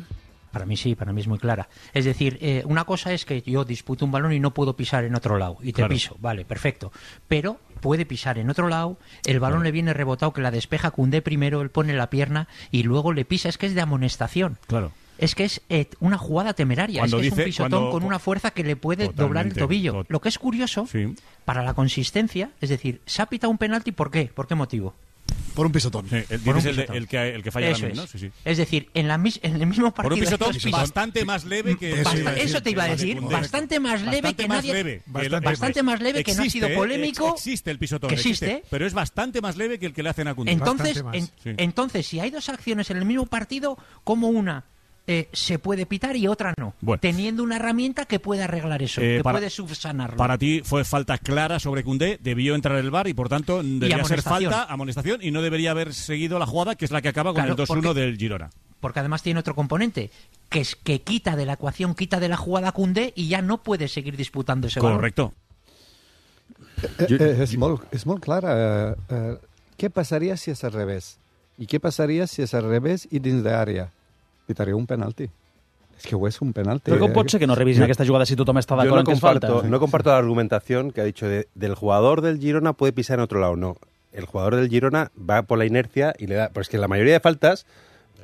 Para mí sí, para mí es muy clara. Es decir, eh, una cosa es que yo disputo un balón y no puedo pisar en otro lado. Y te claro. piso, vale, perfecto. Pero puede pisar en otro lado, el balón claro. le viene rebotado, que la despeja Koundé primero, él pone la pierna y luego le pisa. Es que es de amonestación. Claro. Es que es eh, una jugada temeraria, cuando es que dice, es un pisotón cuando, con una fuerza que le puede doblar el tobillo. Tot... Lo que es curioso, sí. para la consistencia, es decir, se ha pitado un penalti, ¿por qué? ¿Por qué motivo? Por un pisotón. Sí, el, Por un es el, de- pisotón. el que, el que falla Eso también, ¿no? es. Sí, sí. Es decir, en, la, mis- en el mismo partido... Por un pisotón de dos bastante más leve que... Basta- iba a decir, eso te iba a que decir, Koundé. bastante más leve Bastante que más nadie... leve. Bastante, Que lo- bastante más leve que no ha Existe, sido ¿eh? polémico. Ex- Existe el pisotón, que existe. pero es bastante más leve que el que le hacen a Koundé. Entonces, Bastante en- más. Sí. entonces, si hay dos acciones en el mismo partido, como una eh, se puede pitar y otra no, Bueno. teniendo una herramienta que puede arreglar eso, Eh, que para- puede subsanarlo. Para ti fue falta clara sobre Koundé, debió entrar el V A R y por tanto debería ser amonestación. falta, amonestación, y no debería haber seguido la jugada que es la que acaba con Claro, el dos uno porque- del Girona. Porque además tiene otro componente, que es que quita de la ecuación, quita de la jugada a Koundé y ya no puede seguir disputando ese balón. Correcto. Eh, eh, és, molt, és molt clara. Eh, eh, què passaria si és al revés? I què passaria si és al revés i dins d'àrea? Pitaria un penalti. És que ho és un penalti. Però com pot ser que no revisin aquesta jugada si tothom està Yo d'acord no en que és falta? comparto, no comparto la argumentación que ha dicho de- del jugador del Girona puede pisar en otro lado. No, el jugador del Girona va por la inercia y le da... Pues que la mayoría de faltas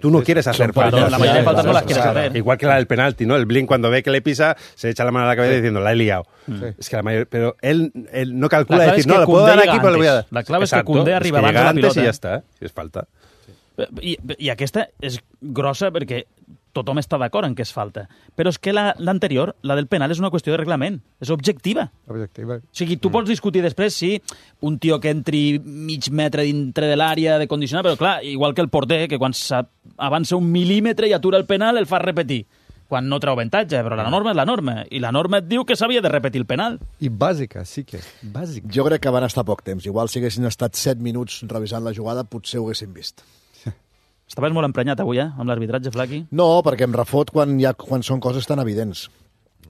tú no quieres hacer por faltas. inercia. La mayoría de faltas no las quieres Claro. hacer. Igual que la del penalti, ¿no? El Blin cuando ve que le pisa se echa la mano a la cabeza Sí. diciendo la he liado. Sí. Es que la mayoría... Pero él, él no calcula La clave decir, es que no, lo puedo Koundé dar llega aquí, pero le voy a dar. antes. La clave es que Exacto, Koundé arriba que abans de llega la antes pilota. y ya está, si es falta. I, I aquesta és grossa perquè tothom està d'acord en que és falta. Però és que la- l'anterior, la, la del penal, és una qüestió de reglament. És objectiva. Objectiva. O sigui, tu pots discutir després si un tio que entri mig metre dintre de l'àrea de condicionar, però clar, igual que el porter, que quan s'ha- avança un mil·límetre i atura el penal, el fa repetir quan no treu avantatge, però la norma és la norma, i la norma et diu que s'havia de repetir el penal. I bàsica, sí que és bàsica. Jo crec que van estar poc temps. Igual si haguessin estat set minuts revisant la jugada, potser ho haguessin vist. Estaves molt emprenyat avui, eh, amb l'arbitratge, Flaqui? No, perquè em refot quan, hi ha, quan són coses tan evidents.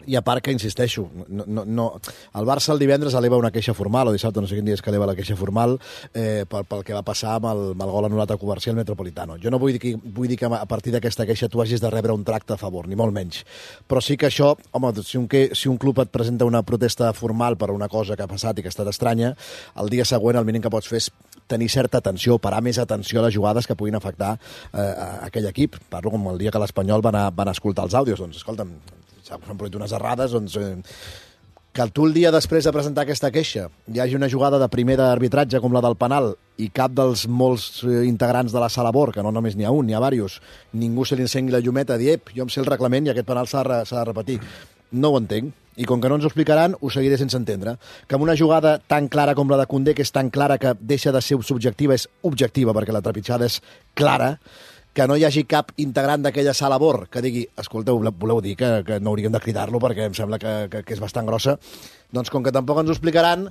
I a part que, insisteixo, no, no, no, el Barça el divendres eleva una queixa formal, o dissabte, no sé quin dia és que eleva la queixa formal, eh, pel, pel que va passar amb el, amb el gol anul·lat a Comercial Metropolitano. Jo no vull dir, que, vull dir que a partir d'aquesta queixa tu hagis de rebre un tracte a favor, ni molt menys. Però sí que això, home, si un, que, si un club et presenta una protesta formal per una cosa que ha passat i que ha estat estranya, el dia següent el mínim que pots fer és tenir certa atenció, parar més atenció a les jugades que puguin afectar eh, a aquell equip. Parlo com el dia que l'Espanyol van, a, van a escoltar els àudios. Doncs, escolta'm, s'han produït unes errades, doncs, eh, que tu el dia després de presentar aquesta queixa hi hagi una jugada de primer d'arbitratge com la del penal i cap dels molts eh, integrants de la sala B O R, que no només n'hi ha un, n'hi ha diversos, ningú se li encengui la llumeta a dir, ep, jo em sé el reglament i aquest penal s'ha de, re- s'ha de repetir. No ho entenc. I com que no ens ho explicaran, ho seguiré sense entendre. Que amb una jugada tan clara com la de Koundé, que és tan clara que deixa de ser subjectiva, és objectiva, perquè la trepitjada és clara, que no hi hagi cap integrant d'aquella sala B O R que digui, escolteu, voleu dir que, que no hauríem de cridar-lo perquè em sembla que, que, que és bastant grossa, doncs com que tampoc ens ho explicaran,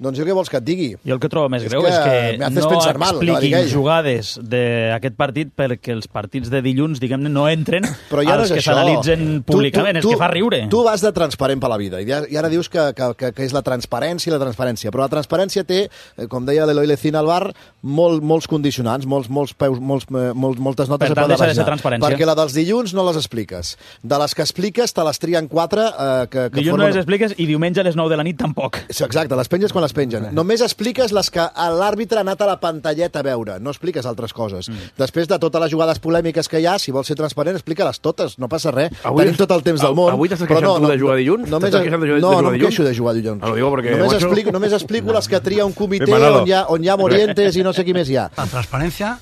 doncs jo què vols que et digui? Jo el que trobo més És greu que és que me haces no pensar mal, que va dir expliquin ell. jugades d'aquest partit perquè els partits de dilluns, diguem-ne, no entren Però ja no als és que això. s'analitzen Tu- públicament. tu- És que fa riure. Tu vas de transparent per la vida, i ja- i ara dius que, que, que, que és la transparència i la transparència, però la transparència té, eh, com deia l'Eloi Lecina al bar, molt, molts condicionants, molts, molts peus, molts, eh, molts, moltes notes Per a peu tant, de deixa de ser pàgina. transparència. Perquè la dels dilluns no les expliques. De les que expliques, te les trien quatre eh, que, que Dilluns no formen... les expliques i diumenge a les nou de la nit tampoc. Sí, exacte, les penges quan les pengen. Només expliques les que l'àrbitre ha anat a la pantalleta a veure, no expliques altres coses. Mm. Després de totes les jugades polèmiques que hi ha, si vols ser transparent, explica-les totes, no passa res. Avui Tenim tot el temps del món. Avui t'estàs però queixant tu de jugar dilluns? Només, T'estàs queixant de jugar- no, de jugar no em dilluns? queixo de jugar dilluns. Ah, lo digo porque, només, macho- explico, només explico les que tria un comitè Sí, Manolo. on hi, ha, on hi ha Morientes i no sé qui més hi ha. La transparencia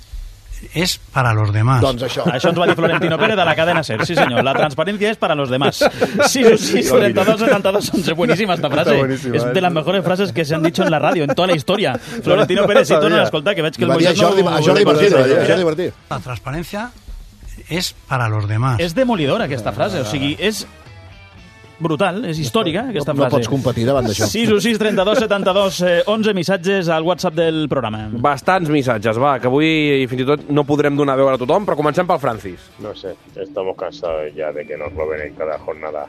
es para los demás. Doncs això. Això ens va dir Florentino Pérez de la cadena SER. Sí, senyor. La transparencia es para los demás. sis sis treinta dos setenta dos once. Buenísima esta frase. Está buenísima, es eh. de las mejores frases que se han dicho en la radio, en toda la historia. Florentino Pérez, si tu no l'escolta, que veig que el Va dir a Moisés no... Jordi, a Jordi Martí, a Jordi Martí. La transparencia es para los demás. És demolidora, aquesta frase. O sigui, és brutal, és històrica, aquesta no frase. pots competir davant d'això. sis sis trenta dos setenta dos onze missatges al WhatsApp del programa. Bastants missatges, va, que avui fins i tot no podrem donar veu a tothom, però comencem pel Francis. No sé, estamos cansados ya de que nos lo ven en cada jornada.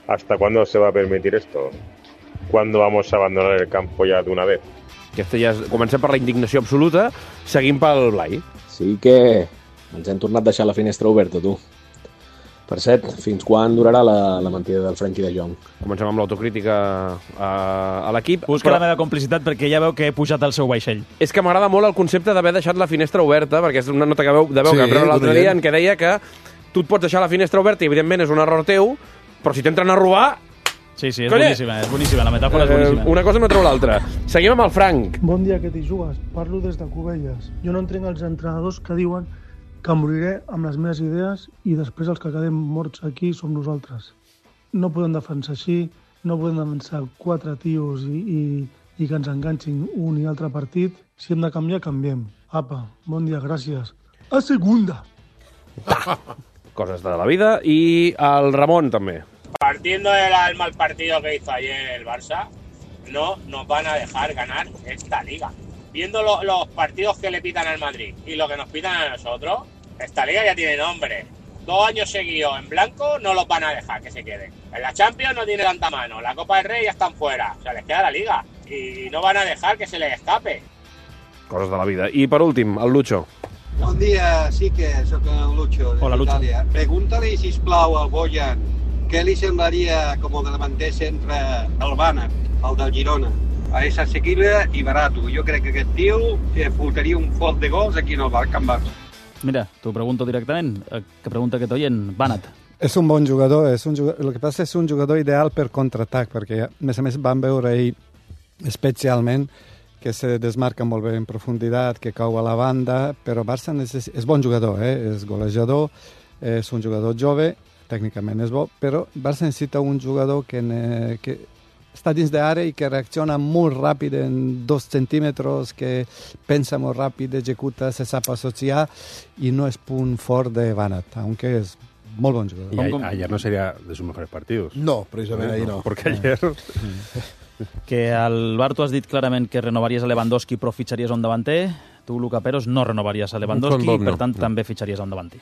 ¿Hasta cuándo se va a permitir esto? ¿Cuándo vamos a abandonar el campo ya de una vez? Aquesta ja és... Comencem per la indignació absoluta, seguim pel Blai. Sí que ens hem tornat a deixar la finestra oberta, tu. Per cert, fins quan durarà la, la mentida del Frenkie de Jong? Comencem amb l'autocrítica a, a l'equip. Busca però... la meva complicitat perquè ja veu que he pujat al seu vaixell. És que m'agrada molt el concepte d'haver deixat la finestra oberta, perquè és una nota que veu, de veu Sí, que vam treure l'altre d'un dia oient. en què deia que tu et pots deixar la finestra oberta i evidentment és un error teu, però si t'entren a robar, Sí, sí, és boníssima, és boníssima, la metàfora és boníssima. Eh, una cosa no treu l'altra. Seguim amb el Frank. Bon dia, que t'hi jugues. Parlo des de Cubelles. Jo no entenc els entrenadors que diuen que moriré amb les meves idees i després els que quedem morts aquí som nosaltres. No podem defensar així, no podem defensar quatre tios i, i, i que ens enganxin un i altre partit. Si hem de canviar, canviem. Apa, bon dia, gràcies. A segunda. Coses de la vida. I el Ramon, també. Partiendo del mal partido que hizo ayer el Barça, no nos van a dejar ganar esta liga. Viendo lo, los partidos que le pitan al Madrid y lo que nos pitan a nosotros, esta liga ya tiene nombre. Dos años seguidos en blanco no los van a dejar que se queden. En la Champions no tiene tanta mano, la Copa del Rey ya están fuera, o sea, les queda la liga y no van a dejar que se les escape. Coses de la vida. I per últim, el Lucho. Bon dia, sí que sóc el Lucho, Hola, Lucho. d'Itàlia. Pregunta-li, sisplau, al Bojan, què li semblaria com a davanter centre el Bànec, el del Girona? És assequible i barato. Jo crec que aquest tio fotaria un foc de gols aquí en el Camp Barça. Mira, t'ho pregunto directament, que pregunta aquest oient, Bànec. És un bon jugador, és un jugador, el que passa és un jugador ideal per contraatac, perquè a més a més vam veure ahir especialment que se desmarca molt bé en profunditat, que cau a la banda, però Barça necess... és bon jugador, eh? És golejador, és un jugador jove, tècnicament és bo, però Barça necessita un jugador que, ne... que està dins d'àrea i que reacciona molt ràpid en dos centímetres, que pensa molt ràpid, executa, se sap associar i no és punt fort de Bànec, aunque és molt bon jugador. Y a, ayer no sería de sus mejores partidos. No, precisamente ahí no. Porque ayer... Que al Bar tu has dit clarament que renovaries a Lewandowski però fitxaries a un davanter. Tu, Luca Peros, no renovaries a Lewandowski Bob, i, per no, tant, no. també fitxaries a un davanter.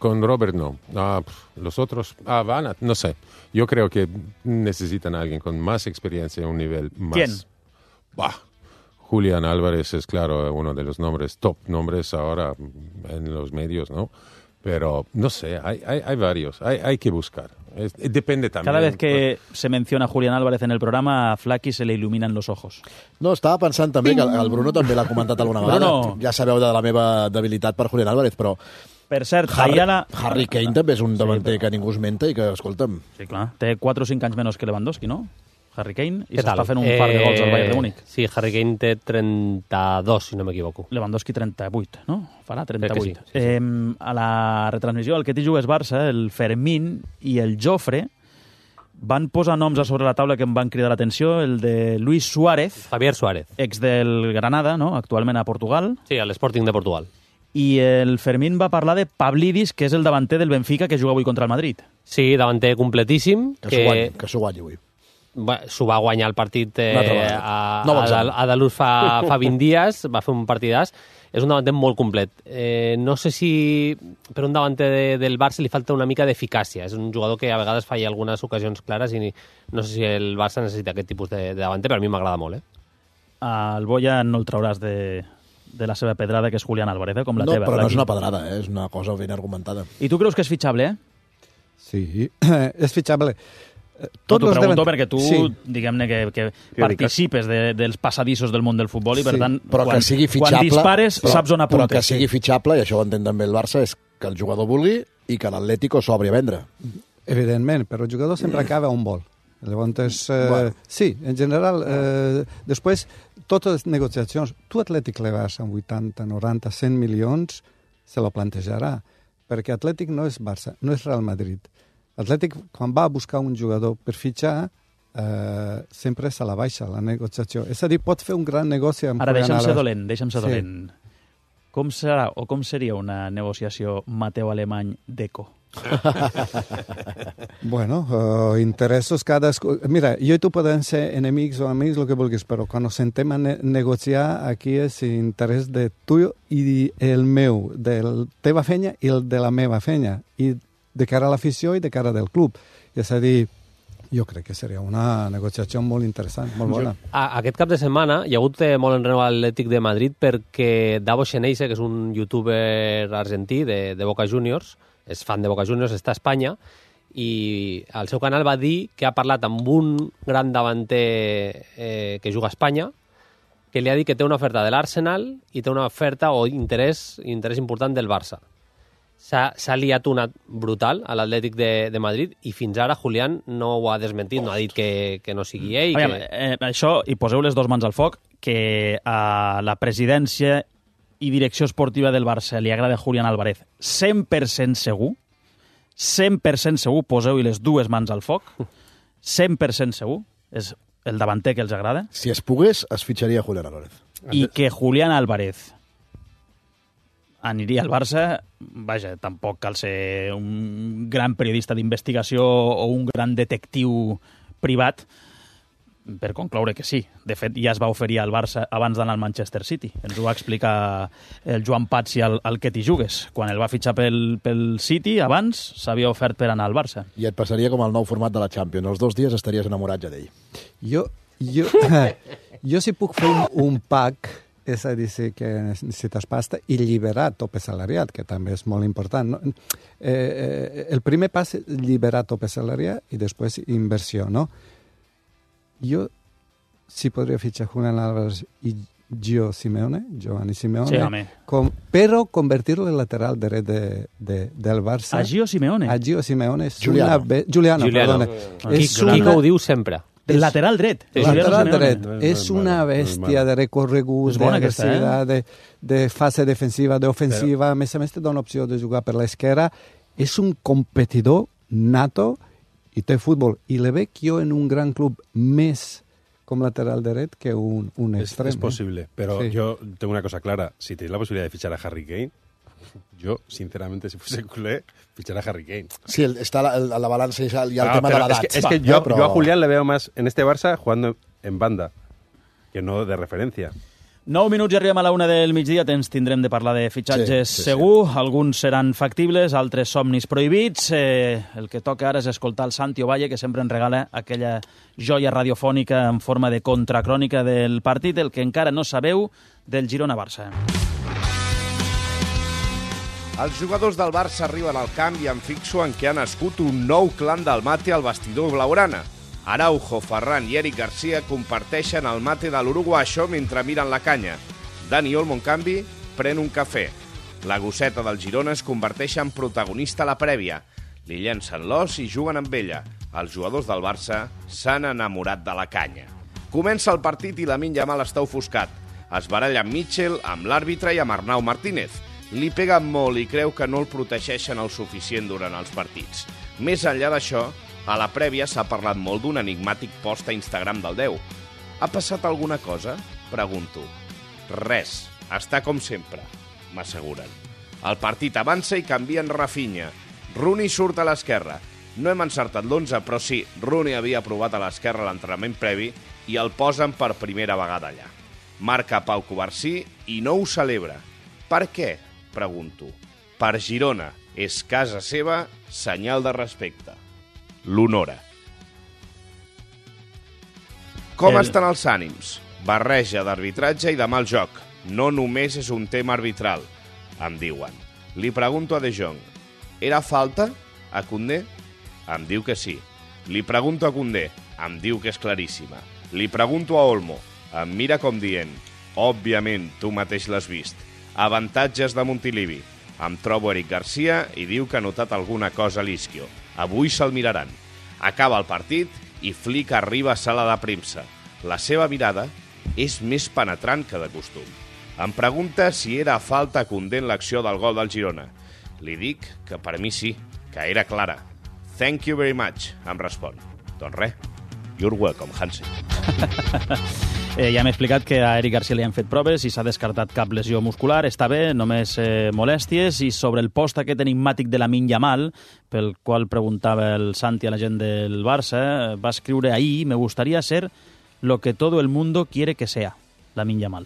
Con Robert no. Ah, pff, los otros, ah, van a, no sé. Yo creo que necesitan a alguien con más experiencia en un nivel más. ¿Quién? Bah, Julián Álvarez es, claro, uno de los nombres, top nombres ahora en los medios, ¿no? Pero, no sé, hay, hay, hay varios, hay, hay que buscar. Es, depende también. Cada vez que se menciona a Julián Álvarez en el programa, a Flaky se le iluminan los ojos. No, estava pensant també que el Bruno també l'ha comentat alguna vegada. Bruno. Ja sabeu de la meva debilitat per Julián Álvarez, però... Per cert, Harry, Ayala... Harry Kane també és un davanter sí, però... que ningú es menta i que, escolta'm... Sí, clar. Té quatre o cinc anys menys que Lewandowski, no? Harry Kane, i Què tal? s'està fent un par de gols al Bayern de Múnich. Sí, Harry Kane té trenta-dos, si no m'equivoco. Lewandowski trenta-vuit, no? Farà trenta-vuit. Sí, sí, sí. Eh, a la retransmissió, el que t'hi jugues Barça, el Fermín i el Jofre van posar noms a sobre la taula que em van cridar l'atenció, el de Luis Suárez. Javier Suárez. Ex del Granada, no? Actualment a Portugal. Sí, a l'Sporting de Portugal. I el Fermín va parlar de Pavlidis, que és el davanter del Benfica que juga avui contra el Madrid. Sí, davanter completíssim. Que s'ho guanyi, que s'ho guanyi avui. S'ho va guanyar el partit eh, a, no a, a Dalús fa, fa vint dies, va fer un partidàs. És un davanter molt complet. Eh, no sé si per un davanter de, del Barça li falta una mica d'eficàcia. És un jugador que a vegades falla algunes ocasions clares i no sé si el Barça necessita aquest tipus de, de davanter, però a mi m'agrada molt. Eh? Al Boya no el trauràs de, de la seva pedrada, que és Julián Álvarez, eh? Com la no, teva. No, però no és una pedrada, eh? És una cosa ben argumentada. I tu creus que és fitxable, eh? Sí, és fitxable. Tot no, t'ho pregunto davant... perquè tu, sí. diguem-ne, que, que participes de, dels passadissos del món del futbol i, per sí, tant, però quan, que sigui fitxable, quan dispares però, saps on apuntes. Però que sigui fitxable, i això ho entén també el Barça, és que el jugador vulgui i que l'Atlético s'obri a vendre. Evidentment, però el jugador sempre acaba on vol. Llavors, eh, bueno. Sí, en general, eh, després, totes les negociacions, tu Atlètic le vas amb vuitanta, noranta, cent milions, se lo plantejarà, perquè Atlètic no és Barça, no és Real Madrid. Atlètic, quan va a buscar un jugador per fitxar, eh, sempre se la baixa, la negociació. És a dir, pot fer un gran negoci amb... Ara, deixa'm ser dolent, deixa'm ser sí. dolent. Com serà o com seria una negociació Mateu Alemany d'Eco? Bueno, uh, interessos cadascú... Mira, jo i tu podem ser enemics o amics, el que vulguis, però quan ens sentem a ne negociar, aquí és interès de tu i el meu, de la teva fenya i el de la meva fenya. I de cara a l'afició i de cara del club. És a dir, jo crec que seria una negociació molt interessant, molt bona. A, aquest cap de setmana hi ha hagut eh, molt enrenou a l'Atlètic de Madrid perquè Davos Xeneize, que és un youtuber argentí de, de Boca Juniors, és fan de Boca Juniors, està a Espanya, i al seu canal va dir que ha parlat amb un gran davanter eh, que juga a Espanya, que li ha dit que té una oferta de l'Arsenal i té una oferta o interès, interès important del Barça. s'ha liat una brutal a l'Atlètic de, de Madrid i fins ara Julián no ho ha desmentit, no ha dit que, que no sigui ell. Aviam, que... eh, això, i poseu les dues mans al foc, que a la presidència i direcció esportiva del Barça li agrada Julián Álvarez cent per cent segur, cent per cent segur, poseu-hi les dues mans al foc, cent per cent segur, és el davanter que els agrada. Si es pogués, es fitxaria Julián Álvarez. I que Julián Álvarez aniria al Barça, vaja, tampoc cal ser un gran periodista d'investigació o un gran detectiu privat per concloure que sí. De fet, ja es va oferir al Barça abans d'anar al Manchester City. Ens ho va explicar el Joan Patsi al, al Que t'hi jugues. Quan el va fitxar pel, pel City, abans s'havia ofert per anar al Barça. I et passaria com el nou format de la Champions. Els dos dies estaries enamorat ja d'ell. Jo, jo, jo si puc fer un, un pack, és a dir, sí que necessites pasta i lliberar tope salariat, que també és molt important. No? Eh, eh, el primer pas és lliberar tope salariat i després inversió, no? Jo sí podria fitxar Julián Álvarez i Gio Simeone, Giovanni Simeone, sí, com, però convertir-lo en lateral dret de, de, del Barça. A Gio Simeone? A Gio Simeone. És Giuliano. Una be... Giuliano, Giuliano. perdona. Qui, És qui una... ho diu sempre. El lateral dret. Sí, lateral dret. És una bèstia de recorregut, d'agressivitat, de, de fase defensiva, d'ofensiva. A més a més, te dona opció de jugar per l'esquerra. És un competidor nato i té futbol. I le veig jo en un gran club més com lateral dret que un, un es, extrem. Es posible, pero sí. Yo tengo una cosa clara. Si tenéis la posibilidad de fichar a Harry Kane, yo, sinceramente, si fuese culé, fichar a Harry Kane. Sí, el, está la, la, la balanza y el ah, tema de la edad. Es que, es que yo, pero... yo a Julián le veo más en este Barça jugando en banda, que no de referencia. Nou minuts i arribem a la una del migdia, temps tindrem de parlar de fitxatges sí, sí, segur, sí. Alguns seran factibles, altres somnis prohibits. Eh, el que toca ara és escoltar el Santi Ovalle, que sempre ens regala aquella joia radiofònica en forma de contracrònica del partit, el que encara no sabeu del Girona-Barça. Els jugadors del Barça arriben al camp i em fixo en què ha nascut un nou clan del mate al vestidor blaugrana. Araujo, Ferran i Eric Garcia comparteixen el mate de l'uruguaixo mentre miren la canya. Dani Olmo, en canvi, pren un cafè. La gosseta del Girona es converteix en protagonista a la prèvia. Li llencen l'os i juguen amb ella. Els jugadors del Barça s'han enamorat de la canya. Comença el partit i Lamine Yamal està ofuscat. Es baralla amb Mitchell, amb l'àrbitre i amb Arnau Martínez. Li peguen molt i creu que no el protegeixen el suficient durant els partits. Més enllà d'això, a la prèvia s'ha parlat molt d'un enigmàtic post a Instagram del deu. Ha passat alguna cosa? Pregunto. Res. Està com sempre, m'asseguren. El partit avança i canvien Rafinha. Rooney surt a l'esquerra. No hem encertat l'onze, però sí, Rooney havia provat a l'esquerra a l'entrenament previ i el posen per primera vegada allà. Marca Pau Covarsí i no ho celebra. Per què? Pregunto. Per Girona. És casa seva, senyal de respecte. L'honora. Com El... estan els ànims? Barreja d'arbitratge i de mal joc. No només és un tema arbitral, em diuen. Li pregunto a De Jong, era falta a Koundé? Em diu que sí. Li pregunto a Koundé, em diu que és claríssima. Li pregunto a Olmo, em mira com dient, òbviament, tu mateix l'has vist. Avantatges de Montilivi. Em trobo Eric Garcia i diu que ha notat alguna cosa a l'Isquio. Avui se'l miraran. Acaba el partit i Flick arriba a sala de premsa. La seva mirada és més penetrant que de costum. Em pregunta si era falta a Koundé en l'acció del gol del Girona. Li dic que per mi sí, que era clara. Thank you very much, em respon. Doncs res, you're welcome, Hansi. Eh, ja m'he explicat que a Eric Garcia li han fet proves i s'ha descartat cap lesió muscular. Està bé, només eh, molèsties. I sobre el post aquest enigmàtic de Lamine Yamal, pel qual preguntava el Santi a la gent del Barça, va escriure ahí, me gustaría ser lo que todo el mundo quiere que sea, Lamine Yamal.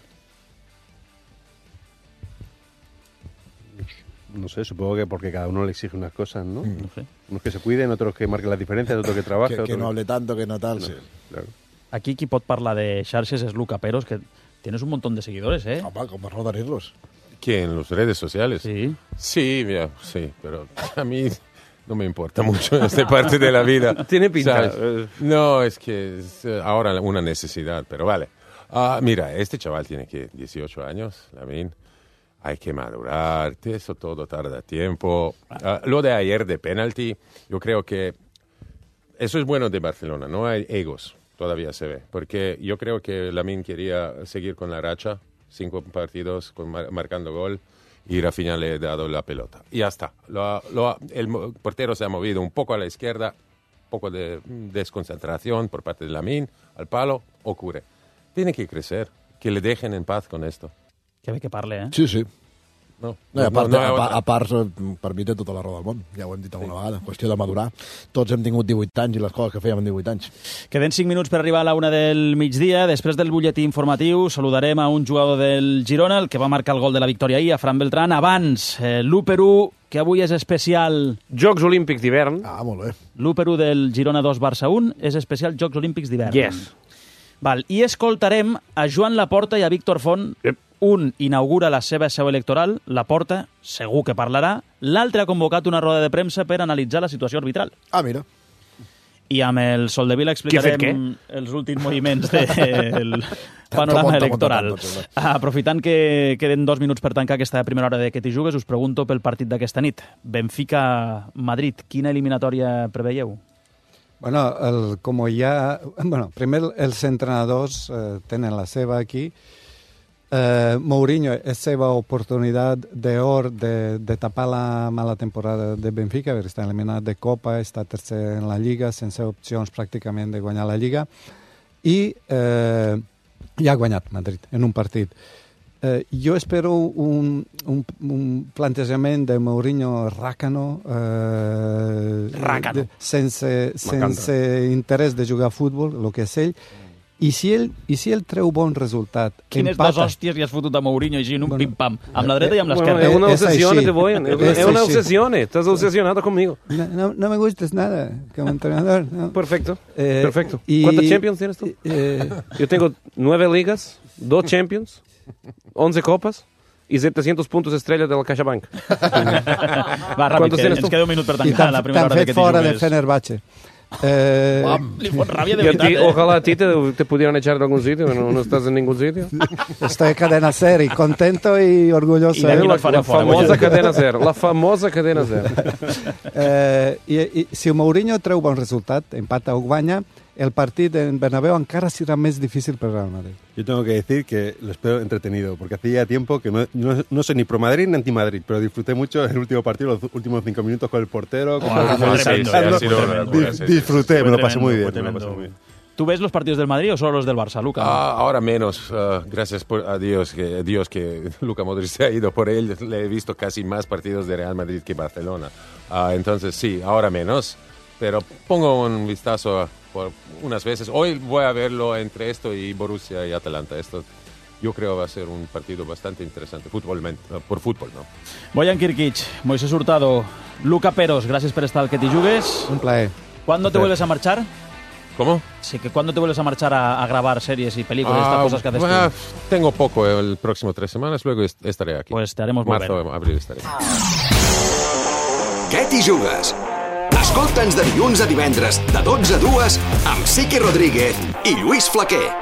No sé, supongo que porque cada uno le exige unas cosas, ¿no? No sé. Unos que se cuiden, otros que marquen las diferencias, otros que trabajen. Que, que otros... no hable tanto, que no tal, no, sí. Claro. Aquí qui pot parlar de xarxes es Luca Peros, que tienes un montón de seguidores, ¿eh? Opa, ¿cómo no darlos? ¿Qué? ¿En las redes sociales? Sí. Sí, mira, sí, pero a mí no me importa mucho esta parte de la vida. Tiene pinta. ¿Sabes? No, es que es ahora una necesidad, pero vale. Uh, mira, este chaval tiene que dieciocho años, Lamine. hay que madurar, eso todo tarda tiempo. Uh, lo de ayer de penalti, yo creo que eso es bueno de Barcelona, no hay egos, todavía se ve, porque yo creo que Lamine quería seguir con la racha, cinco partidos con mar- marcando gol, y Rafinha le ha dado la pelota. Y ya está. Lo, lo, el portero se ha movido un poco a la izquierda, un poco de desconcentración por parte de Lamine, al palo, ocurre. Tiene que crecer, que le dejen en paz con esto. Que bé que parle, eh? Sí, sí. No, No, a, part, no, no, a, part, a part, per mi té tota la raó del món, ja ho hem dit alguna sí. vegada, qüestió de madurar. Tots hem tingut divuit anys i les coses que fèiem en divuit anys. Queden cinc minuts per arribar a la una del migdia. Després del butlletí informatiu saludarem a un jugador del Girona, el que va marcar el gol de la victòria ahir, a Fran Beltrán. Abans, eh, l'u per u, que avui és especial... Jocs Olímpics d'hivern. Ah, molt bé. l'u per u del Girona dos Barça un és especial Jocs Olímpics d'hivern. Yes. Val, i escoltarem a Joan Laporta i a Víctor Font. Yep. Un inaugura la seva seu electoral, Laporta, segur que parlarà. L'altre ha convocat una roda de premsa per analitzar la situació arbitral. Ah, mira. I amb el Soldevila explicarem els últims moviments del panorama electoral. Aprofitant que queden dos minuts per tancar aquesta primera hora de Que t'hi jugues, us pregunto pel partit d'aquesta nit. Benfica-Madrid, quina eliminatòria preveieu? Bueno, el, como ya... Bueno, primer els entrenadors eh, tenen la seva aquí. Eh, Mourinho és seva oportunitat d'or de, de tapar la mala temporada de Benfica, perquè està eliminat de Copa, està tercer en la Lliga, sense opcions pràcticament de guanyar la Lliga, i eh, ja ha guanyat Madrid en un partit. Eh, jo espero un, un, un plantejament de Mourinho ràcano, eh, ràcano. De, sense, sense interès de jugar a futbol, el que és ell. I si ell, i si ell treu bon resultat, Quines empata... dos hòsties li has fotut a Mourinho així en un bueno, pim-pam, amb la dreta i amb l'esquerra. Bueno, es una obsesión, te voy. Es una obsesión, estás obsesionado conmigo. No, no, no me gustas nada como entrenador. No. Perfecto, eh, perfecto. Y, ¿Cuántos Champions tienes tú? Eh, Yo tengo nueve ligas, dos Champions, once copas y setecientos puntos estrellas de la CaixaBank. Va, ràpid, que ens queda un minut per tancar la primera hora de Que t'hi jugues. T'han fet fora de Fenerbahce. Eh, Uam, li fot ràbia de veritat, ti, eh? Ojalá a ti te, te pudieran echar de algún sitio, no, no estás en ningún sitio. Estoy en Cadena Ser y contento y orgulloso. Y eh? la, la famosa Cadena Ser, la famosa Cadena Ser. eh, i, i, si el Mourinho treu bon resultat, empata o guanya, el partit en Bernabéu encara serà més difícil per Real Madrid. Yo tengo que decir que lo espero entretenido, porque hacía tiempo que no, no, no soy ni pro Madrid ni anti Madrid, pero disfruté mucho el último partido, los últimos cinco minutos con el portero. Con oh, el sí, sí, sí, disfruté, me lo pasé muy bien. Me lo pasé muy bien. ¿Tú ves los partidos del Madrid o solo los del Barça, Luka? Ah, ahora menos, uh, gracias por, a Dios que, a Dios que Luka Modric se ha ido por él. Le he visto casi más partidos de Real Madrid que Barcelona. Uh, entonces sí, ahora menos, pero pongo un vistazo por unas veces. Hoy voy a verlo entre esto y Borussia y Atalanta. Esto yo creo va a ser un partido bastante interesante, fútbolmente, por fútbol, ¿no? Boyan Kirkic, Moisés Hurtado, Luka Peros, gracias por estar al Que t'hi jugues. Un placer. ¿Cuándo te vuelves a marchar? ¿Cómo? Sí, que ¿cuándo te vuelves a marchar a, a grabar series y películas, ah, estas cosas que haces bueno, tú? Tengo poco el próximo tres semanas, luego estaré aquí. Pues te haremos volver. Marzo, abril estaré. Que t'hi jugues? Escolta'ns de dilluns a divendres, de dotze a dues, amb Sique Rodríguez i Lluís Flaquer.